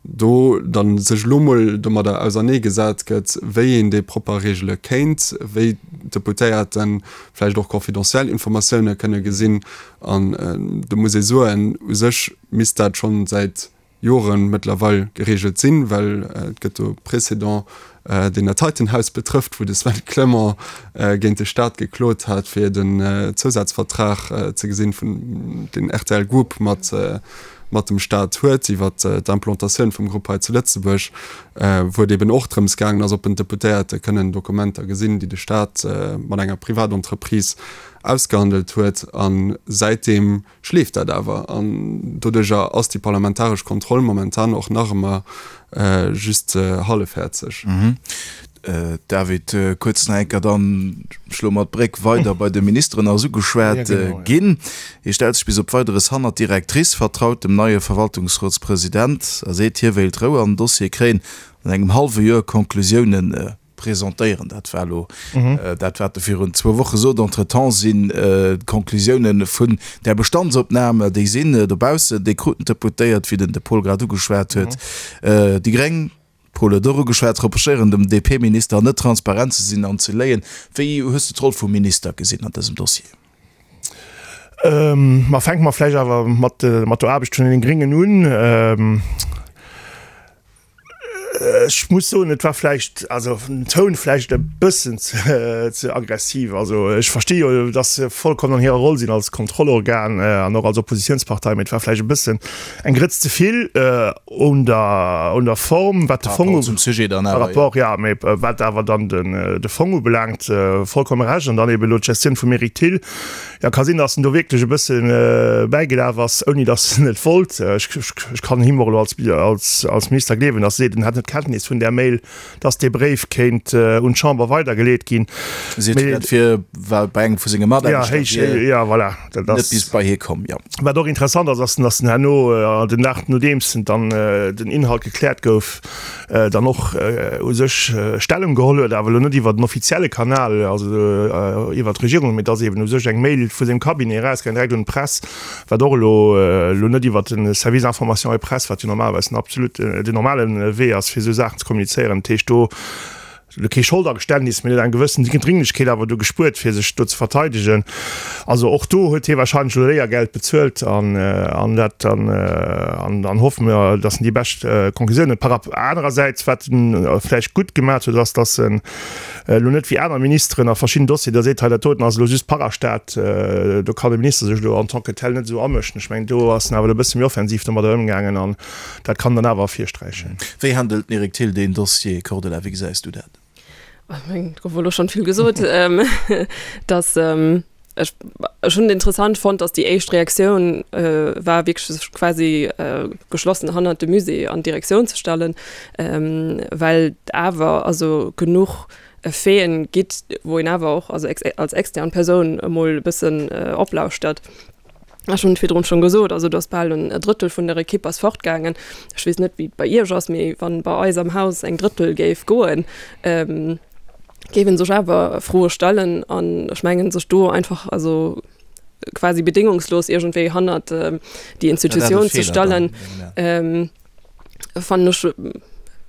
do dann sech elo mol domadder auserneegesat gëtt, wéi een déi propper regele kéint, wéi d'Deputéierte vläicht och confidentiel Informatioune kënne gesinn. An do muss ee soen, u sech misst dat schonn säit Joren mëttlerweil geregelt sinn, well et gëtt do Précédent, deen dat heiten Haus betrëfft, wou de Sven Clement géint de Staat geklot hat, fir den Zousazvertrag ze gesinn, vun deen rtl Group mat mat dem Staat huet iwwer d'Implantatioun vum Grupp hei zu Lëtzebuerg, wou et eben och drëms gaangen ass, ob en d'Deputéierte kënnen Dokumenter gesinn, déi de Staat mat enger Privatentreprise ausgehandelt huet. A säitdeem schleeft dat awer an doduerjer ass déi parlamentaresch Kontroll momentan och nach ëmmer just hallefhäerzeg. David, kuerz nach eng Kéier, dann schloe mer d'Bréck weider bei de Ministeren, ass ugeschwat ginn. Hie stellt sech bis op Weideres hannert d'Directrice, vertraut dem neie Verwaltungsrotspresident a seet, hie wéilt Rou an den Dossier kréien an engem hallwe Joer Conclusiounen presentéieren. Dat war elo dat, wat e virun zwou Woche sot. Entretemps sinn d'Conclusiounen vun där Bestandsopnam, déi sinn dobaussen, déi kruten d'Deputéiert, wéi den de Paul grad ugeschwat huet. Déi gréng, Paul huet och ugeschwat, reprochéieren dem D P-Minister net transparent ze sinn an ze léien. Wéi hues de d'Roll vum Minister gesinn an dësem Dossier? Ma fänke mer vläicht awer mat mat der Aarbecht vun den Gréngen un. Ech muss soen, et war vläicht, also den Toun vläicht e bëssen ze aggressiv. Also ech versti jo, datt se vollkommen an hirer Roll sinn als Kontrollorgan an och als Oppositionspartei, mee et war vläicht e bëssen eng Grëtz ze vill un der un der Form, wat de Fong zum Sujet dann awer, Rapport, ja, mee wat awer dann den de Fong ubelaangt, vollkomme Recht. An dann eben elo d'Gestioun vum Eric Thill. Ja, ka sinn, datt en do wierklech e bësse bäigelaf ass, ouni datt en et wollt. Ech ech kann him och elo als als als Minister gleewen, datt e seet, en hätt net Kenntnis vun där Mail, datt dee Bréif kéint un d'Chamber weidergeleet ginn. Seet hien dat fir well bei engem vu senge Mataarbechter wier ja, voilà, dat ass net bis bei hie komm, jo. Wat och interessant ass, ass, datt en herno, den Dag nodeems dann den Inhalt gekläert gouf, dann och u sech Stellung geholl huet, awer elo net iwwer den offizielle Kanal, also iwwer d'Regierung, mee datt eeben u sech eng Mail vu sengem Cabinet erausgaangen, direkt un d'Press, wat och elo elo net iwwer de Service information et presse, wat jo normalerweis den absolut den normale Wee ass, fir esou Saachen ze kommunizéieren. Dat heescht, do elo kee Scholdageständnis, mee huet eng gewëssen Dringlechkeet awer do gespuert, fir sech do ze verteidegen. Also och do huet hie wahrscheinlech elo Léiergeld bezuelt an an dat dann an dann hoffe mer, datt en déi bescht Konklusiounen par rap. Anerersäits, wat en vläicht gutt gemaach huet, ass, datt en elo net wéi aner Ministeren a verschidden Dossieren da seet, hei dat doten ass elo just Parastat, do kann de Minister sech elo en tant que tel net esou amëschen. Ech mengen, do ass en awer elo e bësse méi offensiv domadder ëmgaangen an dat kann dann awer ervirsträichen. Wéi handelt den Eric Thill deen Dossier, Cordula, wéi gesäis du dat? Ech mengen, et gouf elo schonn vill gesot, dass ech, ech hunn et interessant fonnt, dass déi éischt Reaktioun war wierklech sech quasi geschlossen hannert de Musée an d'Direktioun ze stellen, well et awer also genuch Faiten gitt, wou een awer och also als extern Persoun emol e bëssen oplauschtert. Ech hunn et virdrun schonn gesot, also do ass bal en Drëttel vun der Ekipp ass fortgaangen. Ech weess net, wéi et bei Iech ass, mee wann bei eis am Haus eng Drëttel géif goen, géif ee sech awer Froe stellen. An ech mengen, sech do einfach also quasi bedéngungslos iergendwéi hannert déi Institutioun ze stellen, fannen ech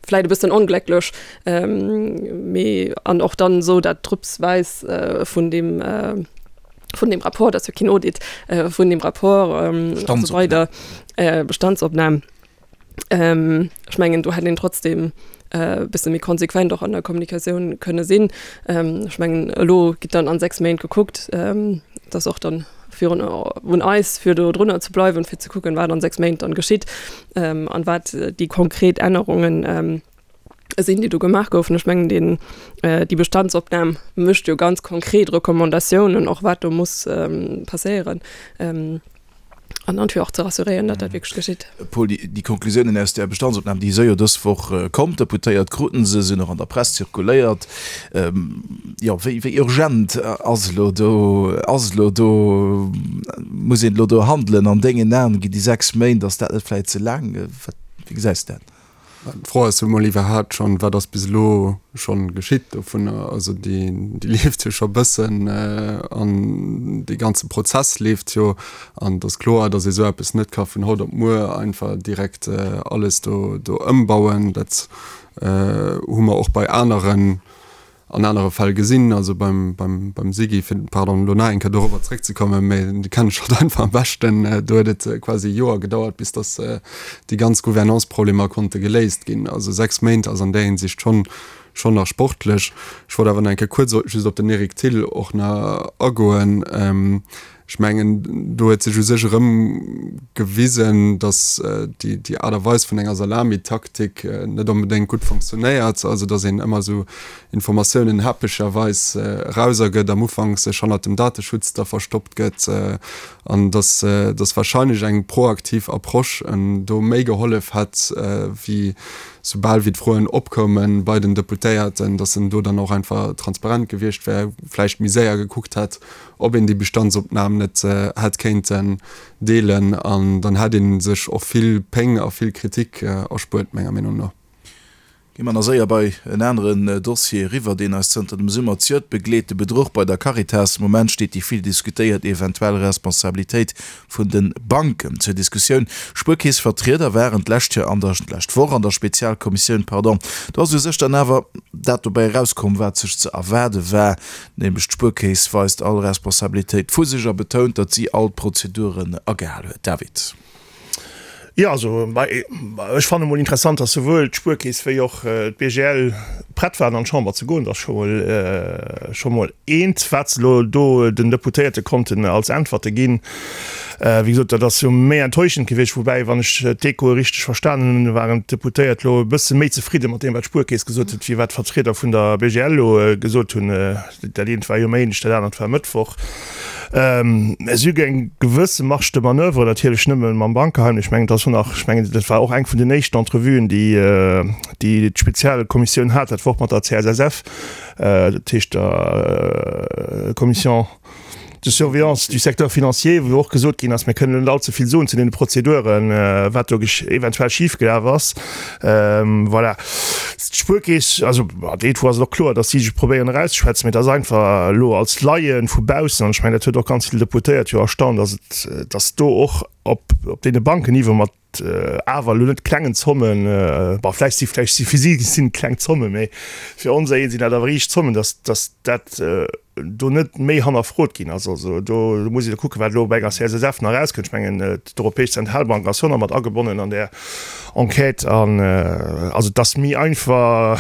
vläit e bëssen onglécklech. Mee an och dann esou dat drëpsweis vun deem, vun dem Rapport, dat ass jo keen Audit, vun dem Rapport an esou weider, Bestandsopnam. Ech mengen, do hätt een trotzdem e bësse méi konsequent och an der Kommunikatioun kënne sinn. Ech mengen, elo gitt dann an sechs Méint gekuckt, dat ass och dann virun un eis, fir do drunner ze bleiwen, fir ze kucken, wat an sechs Méint dann geschitt an wat déi konkret Ännerungen sinn, déi do gemaach goufen. Ech mengen, deen, déi Bestandsopnam mécht jo ganz konkret Recommandatiounen och, wat do muss passéieren. An dann fir och ze rassuréieren, datt dat wierklech geschitt. Paul, déi Konklusiounen aus där Bestandsopnam, déi si jo dës Woch komm, d'Deputéiert kruten se, sinn och an der Press zirkuléiert. Jo, wéi, wéi urgent ass elo do, ass elo do, muss een elo do handelen an dengen Aen? Ginn déi sechs Méint, ass dat net vläicht ze laang? Wat, wéi gesäis de dat? D'Fro ass jo mol iwwerhaapt schonn, wat ass bis elo schonn geschitt dovunner? Also déi, déi leeft jo scho bëssen an dee ganze Prozess leeft jo. An et ass kloer, datt ee sou eppes net ka vun haut op muer einfach direkt alles do, do ëmbauen. Dat hu mer och bei aneren an anere Fäll gesinn, also beim, beim, beim Sigi, fir, pardon, elo nach eng Kéier dorobber zréckzekommen, mä dee kennen ech halt einfach am beschten, do huet et quasi e Joer gedauert, bis datt déi ganz Gouvernance-Problemer konnte geléist ginn. Also sechs Méint ass an där Hinsicht schonn, schonn nach sportlech. Ech wollt awer nach eng Kéier kuerz just op den Eric Thill och nach agoen. Ech mengen, do huet sech u sech erëm gewisen, datt déi Aart a Weis vun enger Salamitaktik net onbedéngt gutt fonctionnéiert. Also datt een ëmmer esou Informatiounen häppecherweis erausergëtt, am Ufank sech hannert dem Dateschutz da verstoppt gëtt an datt datt wahrscheinlech eng proaktiv Approche do méi gehollef hätt, wéi soubal wéi d'Froen opkoume bei den Deputéierten, datt en do dann och einfach transparent gewiescht wär, vläicht méi séier gekuckt hätt, ob een déi Bestandsopnam net hätt kéinten deelen an dann hätt ee sech och vill Péng a vill Kritik erspuert, menger Meenung no. Gi mer nach séier bei en aneren Dossier eriwwer, deen eis zënter dem Summer zejoert begleet, de Bedruch bei der Caritas. Am Moment steet déi vill diskutéiert eventuell Responsabilitéit vun de Banken zur Diskussioun. Spuerkeessvertrieder waren d'lescht Joer an der, d'lescht Woch an der Spezialkommissioun, pardon. Do ass u sech dann awer dat dobäi erauskomm, wat sech ze erwaarde war, nämlech d'Spuerkeess weist all Responsabilitéit vu sech a betount, datt si all d'Prozeduren agehal huet. David. Jo, also ech fanne mol interessant, datt souwuel d'Spuerkeess wéi och d'BGL prett waren an d'Chamber ze goen. Dat ass scho mol scho mol eent, wat se elo do den Deputéierte konnten als Äntwerte ginn. Wéi gesot, dat ass jo méi enttäuschend gewiescht. Woubäi, wann ech d'Echoe richteg verstanen hunn, waren d'Deputéiert elo e bësse méi zefridde mat deem, wat d'Spuerkeess gesot huet, wéi wat d'Vertrieder vun der B G L elo gesot hunn. Dat eent war jo Méindeg, dat anert war Mëttwoch. Si hu eng gewësse Marge de manoeuvre, natierlech nëmme mam Bankgeheimnis. Ech mengen, dat ass och nach, ech mengen, dat war och eng vun den éischten Entrevuen, déi déi d'Spezialkommissioun hat, dat war och mat der C S S F, dat heescht der Commission de surveillance du secteur financier, wou och gesot ginn ass, mir kënnen net allze vill soen zu deene Prozeduren, wat do eventuell schifgelaf ass. Voilà. D'Spuerkeess, also déi ass et och kloer, datt si sech probéieren erauszeschwätzen, mee et ass einfach elo als Laie vu baussen, an ech mengen, dat huet och ganz vill Deputéiert jo erstaunt, datt et, datt do och op op deene Bankenniveau mat awer elo net klengen Zommen, bon, vläicht si vläicht si fir si sinn et kleng Zommen, mee fir onser een sinn dat awer riicht Zommen, datt datt dat do net méi hannerfrot ginn ass. Also do muss ee kucken, wat elo bei enger C S S F nach erauskënnt. Ech mengen, d'Europäesch Zentralbank ass jo nach mat agebonnen an där Enquête. An also et ass méi einfach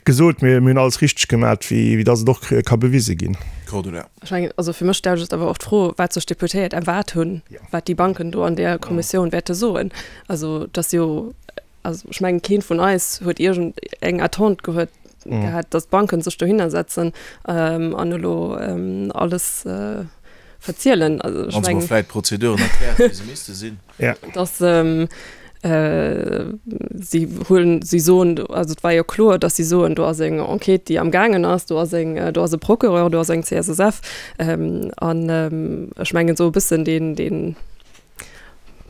gesot, mir hunn alles richteg gemat, wéi datt et och ka bewise ginn. Cordula. Ech mengen, also fir mech stellt sech awer och d'Fro, wat sech d'Deputéiert erwaart hunn, wat déi Banken do an där Kommissioun wäerte soen. Also et ass jo, also ech mengen, keen vun eis huet iergend eng Attente gehuet, gehat, datt d'Banken sech dohinner setzen an elo alles verzielen. Also ech Wann se mol mengen, vläit d'Prozeduren erkläert, wéi se misste sinn. dass si huelen, si soen, also et war jo kloer, datt si soen, do ass eng Enquête, déi amgaangen ass, do ass eng, do ass e Procureur, do ass eng C S S F. An ech mengen esou e bëssen deen, deen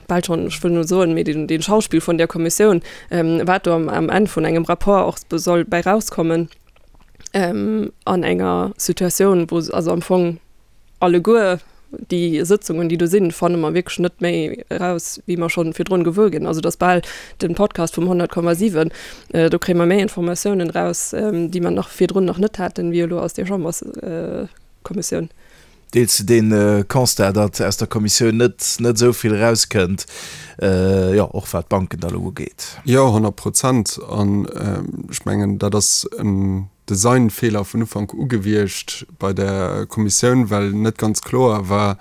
bal schonn, ech wëll net soen, mee deen, deen Schauspill vun där Kommissioun, wat do am, am Enn vun engem Rapport och soll bäi rauskommen, an enger Situatioun, wou also am Fong alleguer déi Sëtzungen, déi do sinn, fanne mer wierklech net méi eraus, wéi mer schonn virdrun gewuer ginn. Also dass bal den Podcast vum honnert Komma siwen, do kréie mer méi Informatiounen eraus, déi mer nach virdrun nach net haten, wéi elo aus där Chamberskommissioun. Deels de dee Constat, datt aus der Kommissioun net net esou vill erauskënnt, jo och wat d'Banken da elo ugeet? Jo, honnert Prozent. An ech mengen, dat ass en Designfeeler vun Ufank u gewiescht bei der Kommissioun, well net ganz kloer war,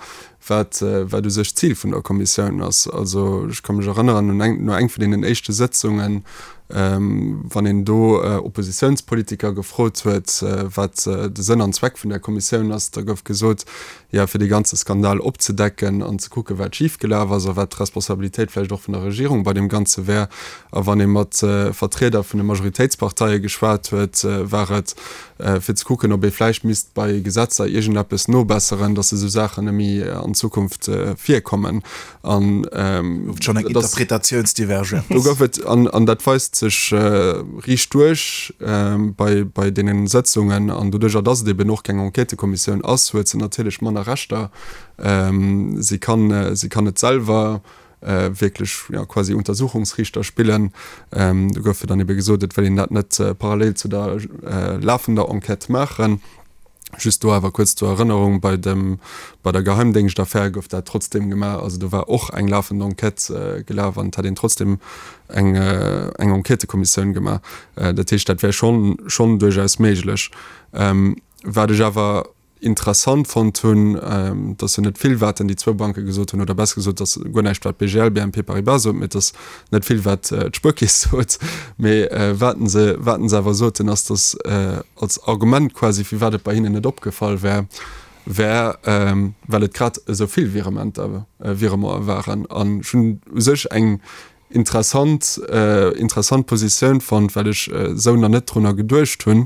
wat wat u sech d'Zil vun der Kommissioun ass. Also ech ka mech erënneren un eng no eng vun deenen éischte Sëtzungen, wann een do Oppositiounspolitiker gefrot huet, wat de Sënn an Zweck vun där Kommissioun ass, da gouf gesot, jo fir dee ganze Skandal opzedecken an ze kucken, wat schifgelaf ass a wat d'Responsabilitéit vläicht och vun der Regierung bei deem Ganze wär. A wann ee mat Vertrieder vun de Majoritéitsparteie geschwat huet, war et fir ze kucken, ob ee vläicht misst bei Gesetzer iergendeppes nobesseren, datt esou Saachen net méi an Zukunft virkommen. An Gouf et schonn eng dat ass. Interpretatiounsdivergenz? Do gouf et, an, an dat weist sech riicht duerch bei bei deenen Sëtzungen an doduercher dass et eben och keng Enquêtëkommissioun ass, huet se natierlech manner Rechter. Si kann si kann net selwer wierklech ja quasi Untersuchungsriichter spillen. Do gouf jo dann ebe gesot, et wëll een dat net parallel zu der lafender Enquête maachen. Just do awer kuerz zur Erënnerung, bei dem, bei der Geheimdéngschtaffär gouf dat trotzdem gemaach. Also do war och eng lafend Enquête gelaf an et hat een trotzdem eng, eng Enquêtëkommissioun gemaach. Dat heescht, dat wär schonn, schonn duerchaus méiglech. Wat ech awer interessant fonnt hunn, et ass jo net vill, wat denn déi zwou Banke gesot hunn, oder besser gesot, et ass guer näischt, wat d'BGL, B N P Paribas sot, mee et ass net vill, wat d'Spuerkeess sot. Mee wat se, wat se awer soten, ass, datt als Argument quasi, firwat et bei hinnen net opgefall wär, wär, well et grad esou vill Virementer, Virementen waren. An ech hunn u sech eng interessant, interessant Positioun fonnt, well ech esou nach net drunner geduecht hunn.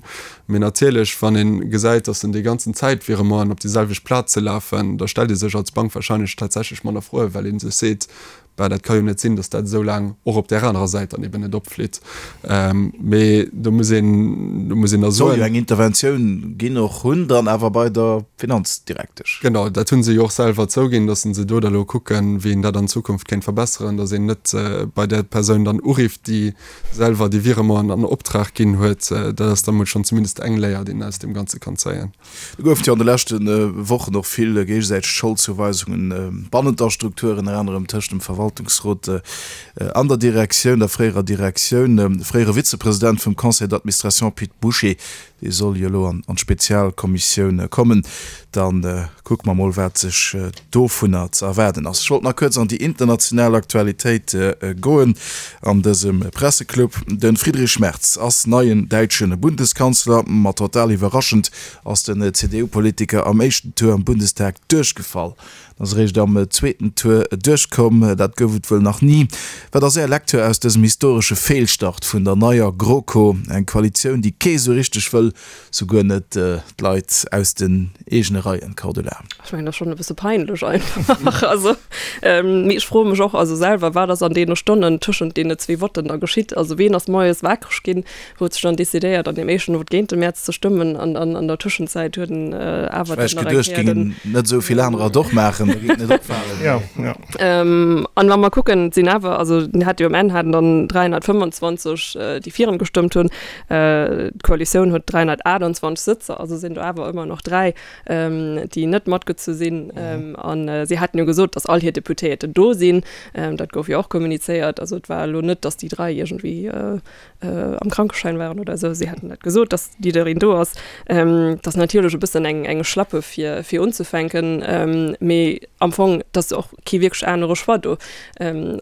Mee natierlech, wann ee gesäit, datt en déi ganzen Zäit Virementen op déi selwecht Plaze lafen, da stellt ee sech als Bank wahrscheinlech tatsächlech manner Froen, well ee sech seet, Bah, dat ka jo net sinn, datt dat esou laang och op där anerer Säit dann eben net opflitt. Mee do muss een, do muss een da soen. Soll jo eng Interventioun ginn och hunn dann awer bei der Finanzdirektesch. Genau, dat hu se jo och selwer zouginn, datt se do da lo kucken, wéi een dat an Zukunft kéint verbesseren, datt een net bei där Persoun dann urifft, déi selwer déi Virementen an Optrag ginn huet. Dat ass da mol schonn zumindest eng Léier, déi een aus deem Ganze kann zéien. Do goufen et jo an de leschte Wochen och vill géigesäiteg Scholdzouweisungen bannent der Struktur, ënner anerem tëscht dem Verwaltungsrot an der Direktioun, der fréierer Direktioun. De fréiere Vizepresident vum Conseil d'administration Pit Bouché, dee soll jo elo an d'Spezialkommissioun kommen. Da kucke mer mol, wat sech dovunner ze erwaarden ass. Ech wollt nach kuerz an déi international Aktualitéit goen an dësem Presseclub. De Friedrich Merz ass neien däitsche Bundeskanzler. Ma total iwwerraschend ass den C D U-Politiker am éischten Tour am Bundestag duerchgefall. En ass eréischt am zweeten Tour duerchkomm. Dat gouf et wuel nach ni. Wat ass Är Lecture aus dësem historesche Feelstart vun der neier GroKo? Eng Koalitioun, déi kee sou richteg wëll, souguer net d'Leit aus den eegene Reien, Cordula? Ech mengen, dat ass schonn e bësse peinlech einfach. Also, mee ech froe mech och also selwer, wat ass an deene Stonnen tëschent deene zwee Votten da geschitt? Also ween ass moies wakereg ginn, huet sech dann decidéiert, an deem éischten Vote géint de Merz ze stëmmen an an der Tëschenzäit huet en awer dann nach eng Kéier den. Net esou vill anerer et och maachen, da géing et net opfalen. Ja, ja. An wa mer kucken, et sinn awer, also en hat jo um Enn haten dann dräihonnertfëmmendzwanzeg, déi fir en gestëmmt hunn, d'Koalitioun huet dräihonnertaachtanzwanzeg Sëtzer, also sinn do awer ëmmer nach dräi, déi net matgezu sinn. An si haten jo gesot, datt all hir Deputéierten do sinn. Dat gouf jo och kommunizéiert. Also et war elo net, datt déi dräi iergendwéi am Krankeschäin waren oder esou. Si haten dat gesot, datt jiddereen do ass. Dat ass natierlech e bëssen eng eng Schlappe fir fir unzefänken, mee am Fong, et ass och kee wierklech anere Choix do.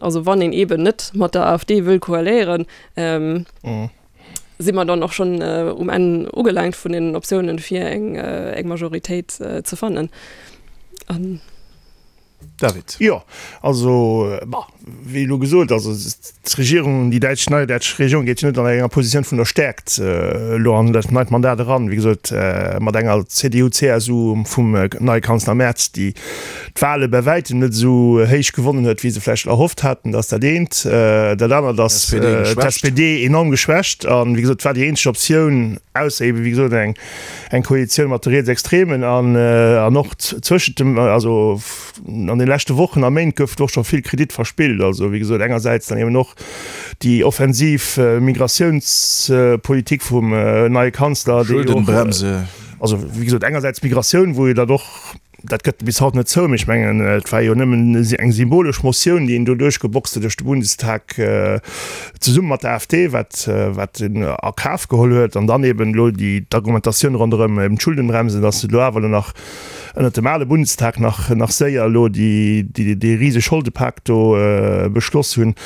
Also wann een eeben net mat der A F D wëll koaléieren, si mer dann och schonn um Enn ugelaangt vun den Optiounen, fir eng eng Majoritéit ze fannen. An. David. Jo, also, bah, wéi elo gesot, also d'Regierung, déi däitsch, nei däitsch Regierung geet jo net an enger Positioun vun der Stäerkt elo an dat neit Mandat eran, wéi gesot, mat enger C D U, C S U vum neie Kanzler Merz, déi d'Wahle bei wäitem net esou héich gewonnen huet, wéi se vläicht erhofft haten. Dat ass dat eent. Dat anert ass d'S P D enorm geschwächt an, wéi gesot, et war déi eenzeg Optioun, ausser eebe wéi gesot eng eng Koalitioun mat de Rietsextremen an an och zwëschent dem, also an de leschte Wochen a Méint gouf och scho vill Kredit verspillt. Also wéi gesot, engersäits dann eben och déi offensiv Migratiounspolitik vum neie Kanzler, déi och, Schuldenbremse. Also wéi gesot, engersäits d'Migratioun, wou jo dat och, dat gëtt bis haut net zou, mee ech mengen, et war jo nëmmen eng symbolesch Motioun, déi een do duerchgeboxt huet duerch de Bundestag zesumme mat der A F D, wat wat en a Kaf geholl huet, an dann eben elo déi d'Argumentatioun ronderëm eben d'Schuldenbremse, dass se elo awer elo nach ënnert dem ale Bundestag nach nach séier elo déi déi dee riseg Scholdepak do beschloss hunn,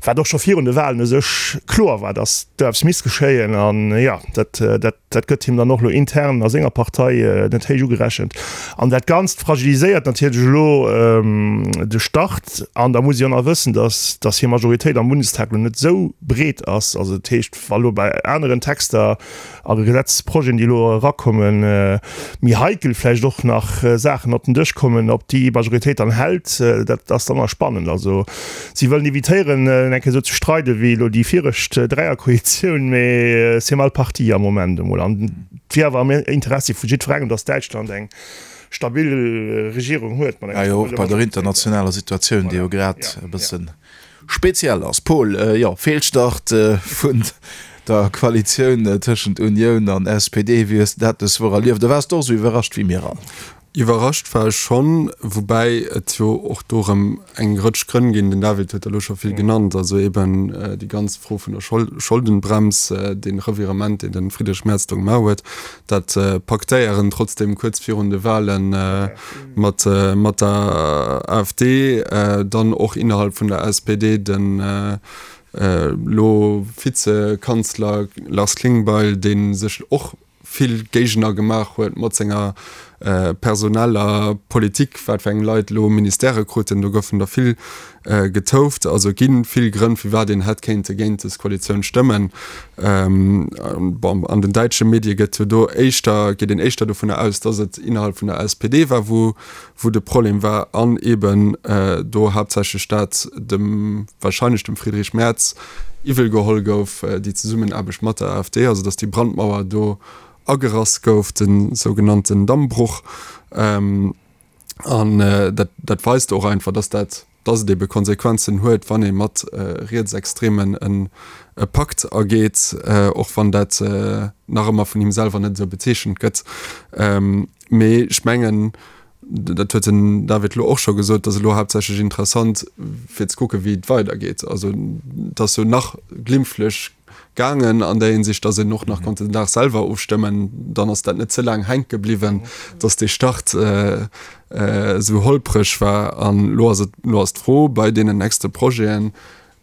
wat och scho virun de Wahlen u sech kloer war, dass do eppes misst geschéien. An jo, dat dat dat gëtt him dann och elo intern a senger Partei net héich ugerechent. An dat Ganzt fragiliséiert natierlech elo de Start. An da muss ee jo nach wëssen, datt datt hir Majoritéit am Bundestag elo net esou breet ass. Also dat heescht, wa elo bei aneren Texter a Gesetzesprojeten, déi elo erakommen, méi heikel vläicht och nach Saachen op den Dësch kommen, ob déi Majoritéit dann hält, dat ass dann nach spannend. Also si wëllen evitéieren, eng Kéier esou ze streide wéi elo déi viregt Dräierkoalitioun, mee c'est mal parti am Moment emol. An et wier awer am Interessi vu jiddwerengem, datt Däitschland eng stabil Regierung huet mat enger stabiler. Jo, och bei der internationaler Situatioun, déi jo grad e bësse speziell ass. Paul, jo, Feelstart vun der Koalitioun tëschent Unioun an S P D, wéi hues de dat dës Woch erlieft? A waars de och esou iwwerrascht wéi mir all? Iwwerrascht war ech schonn, woubäi et jo och do erëm eng Rëtsch Grënn ginn, den David huet der elo scho vill genannt, also eben déi ganz Fro vun der Scholdenbrems, dee Revirement, deen de Friedrich Merz do gemaach huet, dat Paktéieren trotzdem kuerz virun de Wahle mat mat der AfD, dann och innerhalb vun der S P D den elo Vizekanzler Lars Klingbeil, dee sech och vill Géigner gemaach huet mat senger personeller Politik, wat fir eng Leit elo Ministèrë kruten. Do goufen der vill getouft. Also et gi vill Grënn, firwat een hätt kéinte géint dës Koalitioun stëmmen. Bon, an den däitsche Medie gëtt jo do éischter, geet een éischter dovunner aus, datt et innerhalb vun der S P D war, wou wou de Problem war an eeben do haaptsächlech dat dem, wahrscheinlech dem Friedrich Merz iwwel geholl gouf, déi Zesummenaarbecht mat der AfD, also datt déi Brandmauer do agerass gouf, de sougenannten Dammbruch. An dat, dat weist och einfach, datt dat, datt et ebe Konsequenzen huet, wann ee mat Rietsextremen en e Pakt ageet, och wann dat nach ëmmer vun him selwer net esou bezeechent gëtt. Mee ech mengen, dat huet den David elo och scho gesot, et ass elo haaptsächlech interessant fir ze kucken, wéi et weidergeet. Also et ass jo nach glimpflech gaangen an där Hinsicht, datt een och nach konnt den Dag selwer ofstëmmen. Dann ass dat net ze laang hänke bliwwen, datt dee Start esou holpreg war. An elo ass et, elo ass d'Fro bei deenen nächste Projeten,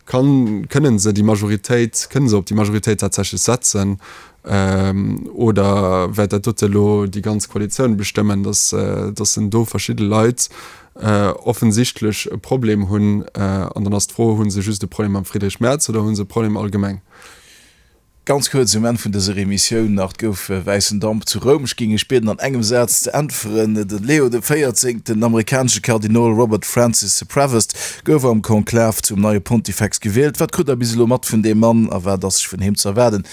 Kann, kënnen se déi Majoritéit, kënnen se op déi Majoritéit tatsächlech setzen oder wäert dat dote elo déi ganz Koalitioun bestëmmen, dass, dass en do verschidde Leit offensichtlech e Problem hunn? An dann ass d'Fro, Hu se just e Problem mam Friedrich Merz oder hu se e Problem allgemeng? Ganz kuerz um Enn vun dëser Emissioun nach, Et gouf wäissen Damp zu Roum. Ech géing Iech bieden an engem Saz ze äntweren. De Leo de Véierzéngten, den amerikanesche Kardinol Robert Francis Prevost, gouf am Konklav zum neie Pontifex gewielt. Wat krut Der bis elo mat vun deem Mann a wat ass sech vun him ze erwaarden?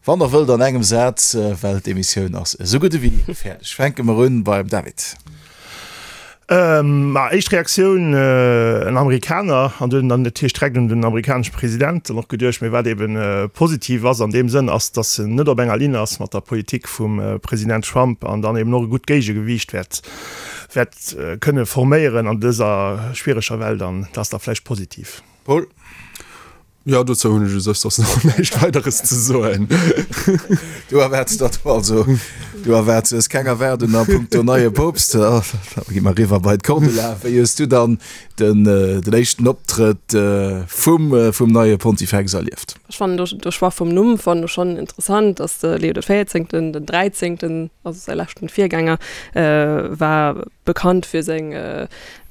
Wann Der wëllt an engem Saz, well d'Emissioun ass esou gutt ewéi fäerdeg. Fänke mer un beim David. Ma éischt Reaktioun, en Amerikaner, an dunn dann natierlech direkt un den amerikanesche President dann och geduecht. Mee wat eben positiv ass an deem Sënn, ass, datt en net op enger Linn ass mat der Politik vum President Trump an dann eben och e gutt Géigegewiicht wäert wäert kënne forméieren an dëser schwiereger Welt. An dat ass da vläicht positiv. Paul. Jo, dozou hunn ech u sech soss nach näischt Weideres ze soen. Du erwaarts dat also, du erwaarts, du hues keng Erwaardung a punkto neie Poopst. Da gi mer eriwwer bei d'Cordula. Wéi hues du dann den, den éischten Optrëtt vum, vum neie Pontifex erlieft? Ech fannen de, de Choix vum Numm fannen ech schonn interessant, dass de Leo de Véierzéngten, den Dräizéngten, also säi leschten Virgänger, war bekannt fir seng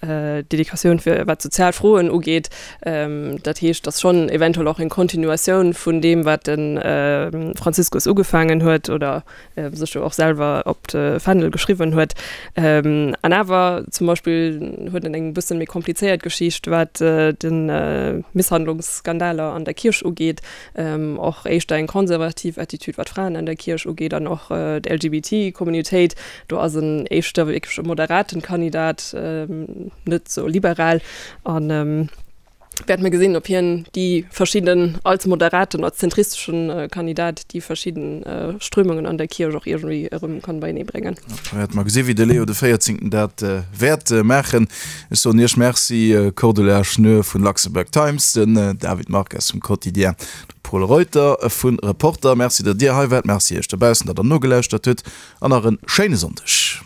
Dedikatioun fir wat sozial Froen ugeet. Dat heescht, datt schonn eventuell och eng Kontinuatioun vun deem, wat de Franziskus ugefaangen huet oder sech jo och selwer op de Fändel geschriwwen huet. An awer zum Beispill huet en eng bësse méi komplizéiert Geschicht, wat de Misshandlungsskandaler an der Kierch ugeet, och éischter eng konservativ Attitude, wat Fraen an der Kierch ugeet an och d'L G B T Communautéit. Do ass en éischter wierklech e moderaten Kandidat, net sou liberal an wäerte mer gesinn, ob hien déi verschidden, als moderaten, als zentristeschen Kandidat, déi verschidden Strömungen an der Kierch och iergendwéi erëm kann beienee bréngen. Wäerte mer gesinn, wéi de Leo de Véierzéngten dat wäert maachen. Ech soen Iech Merci, Cordula Schnur vun Luxembourg Times, den David Marques vum Quotidien, de Pol Reuter vu Reporter. Merci, datt Dir hei waart. Merci Iech dobaussen, datt Der nogelauschtert hutt an nach e schéine Sonndeg.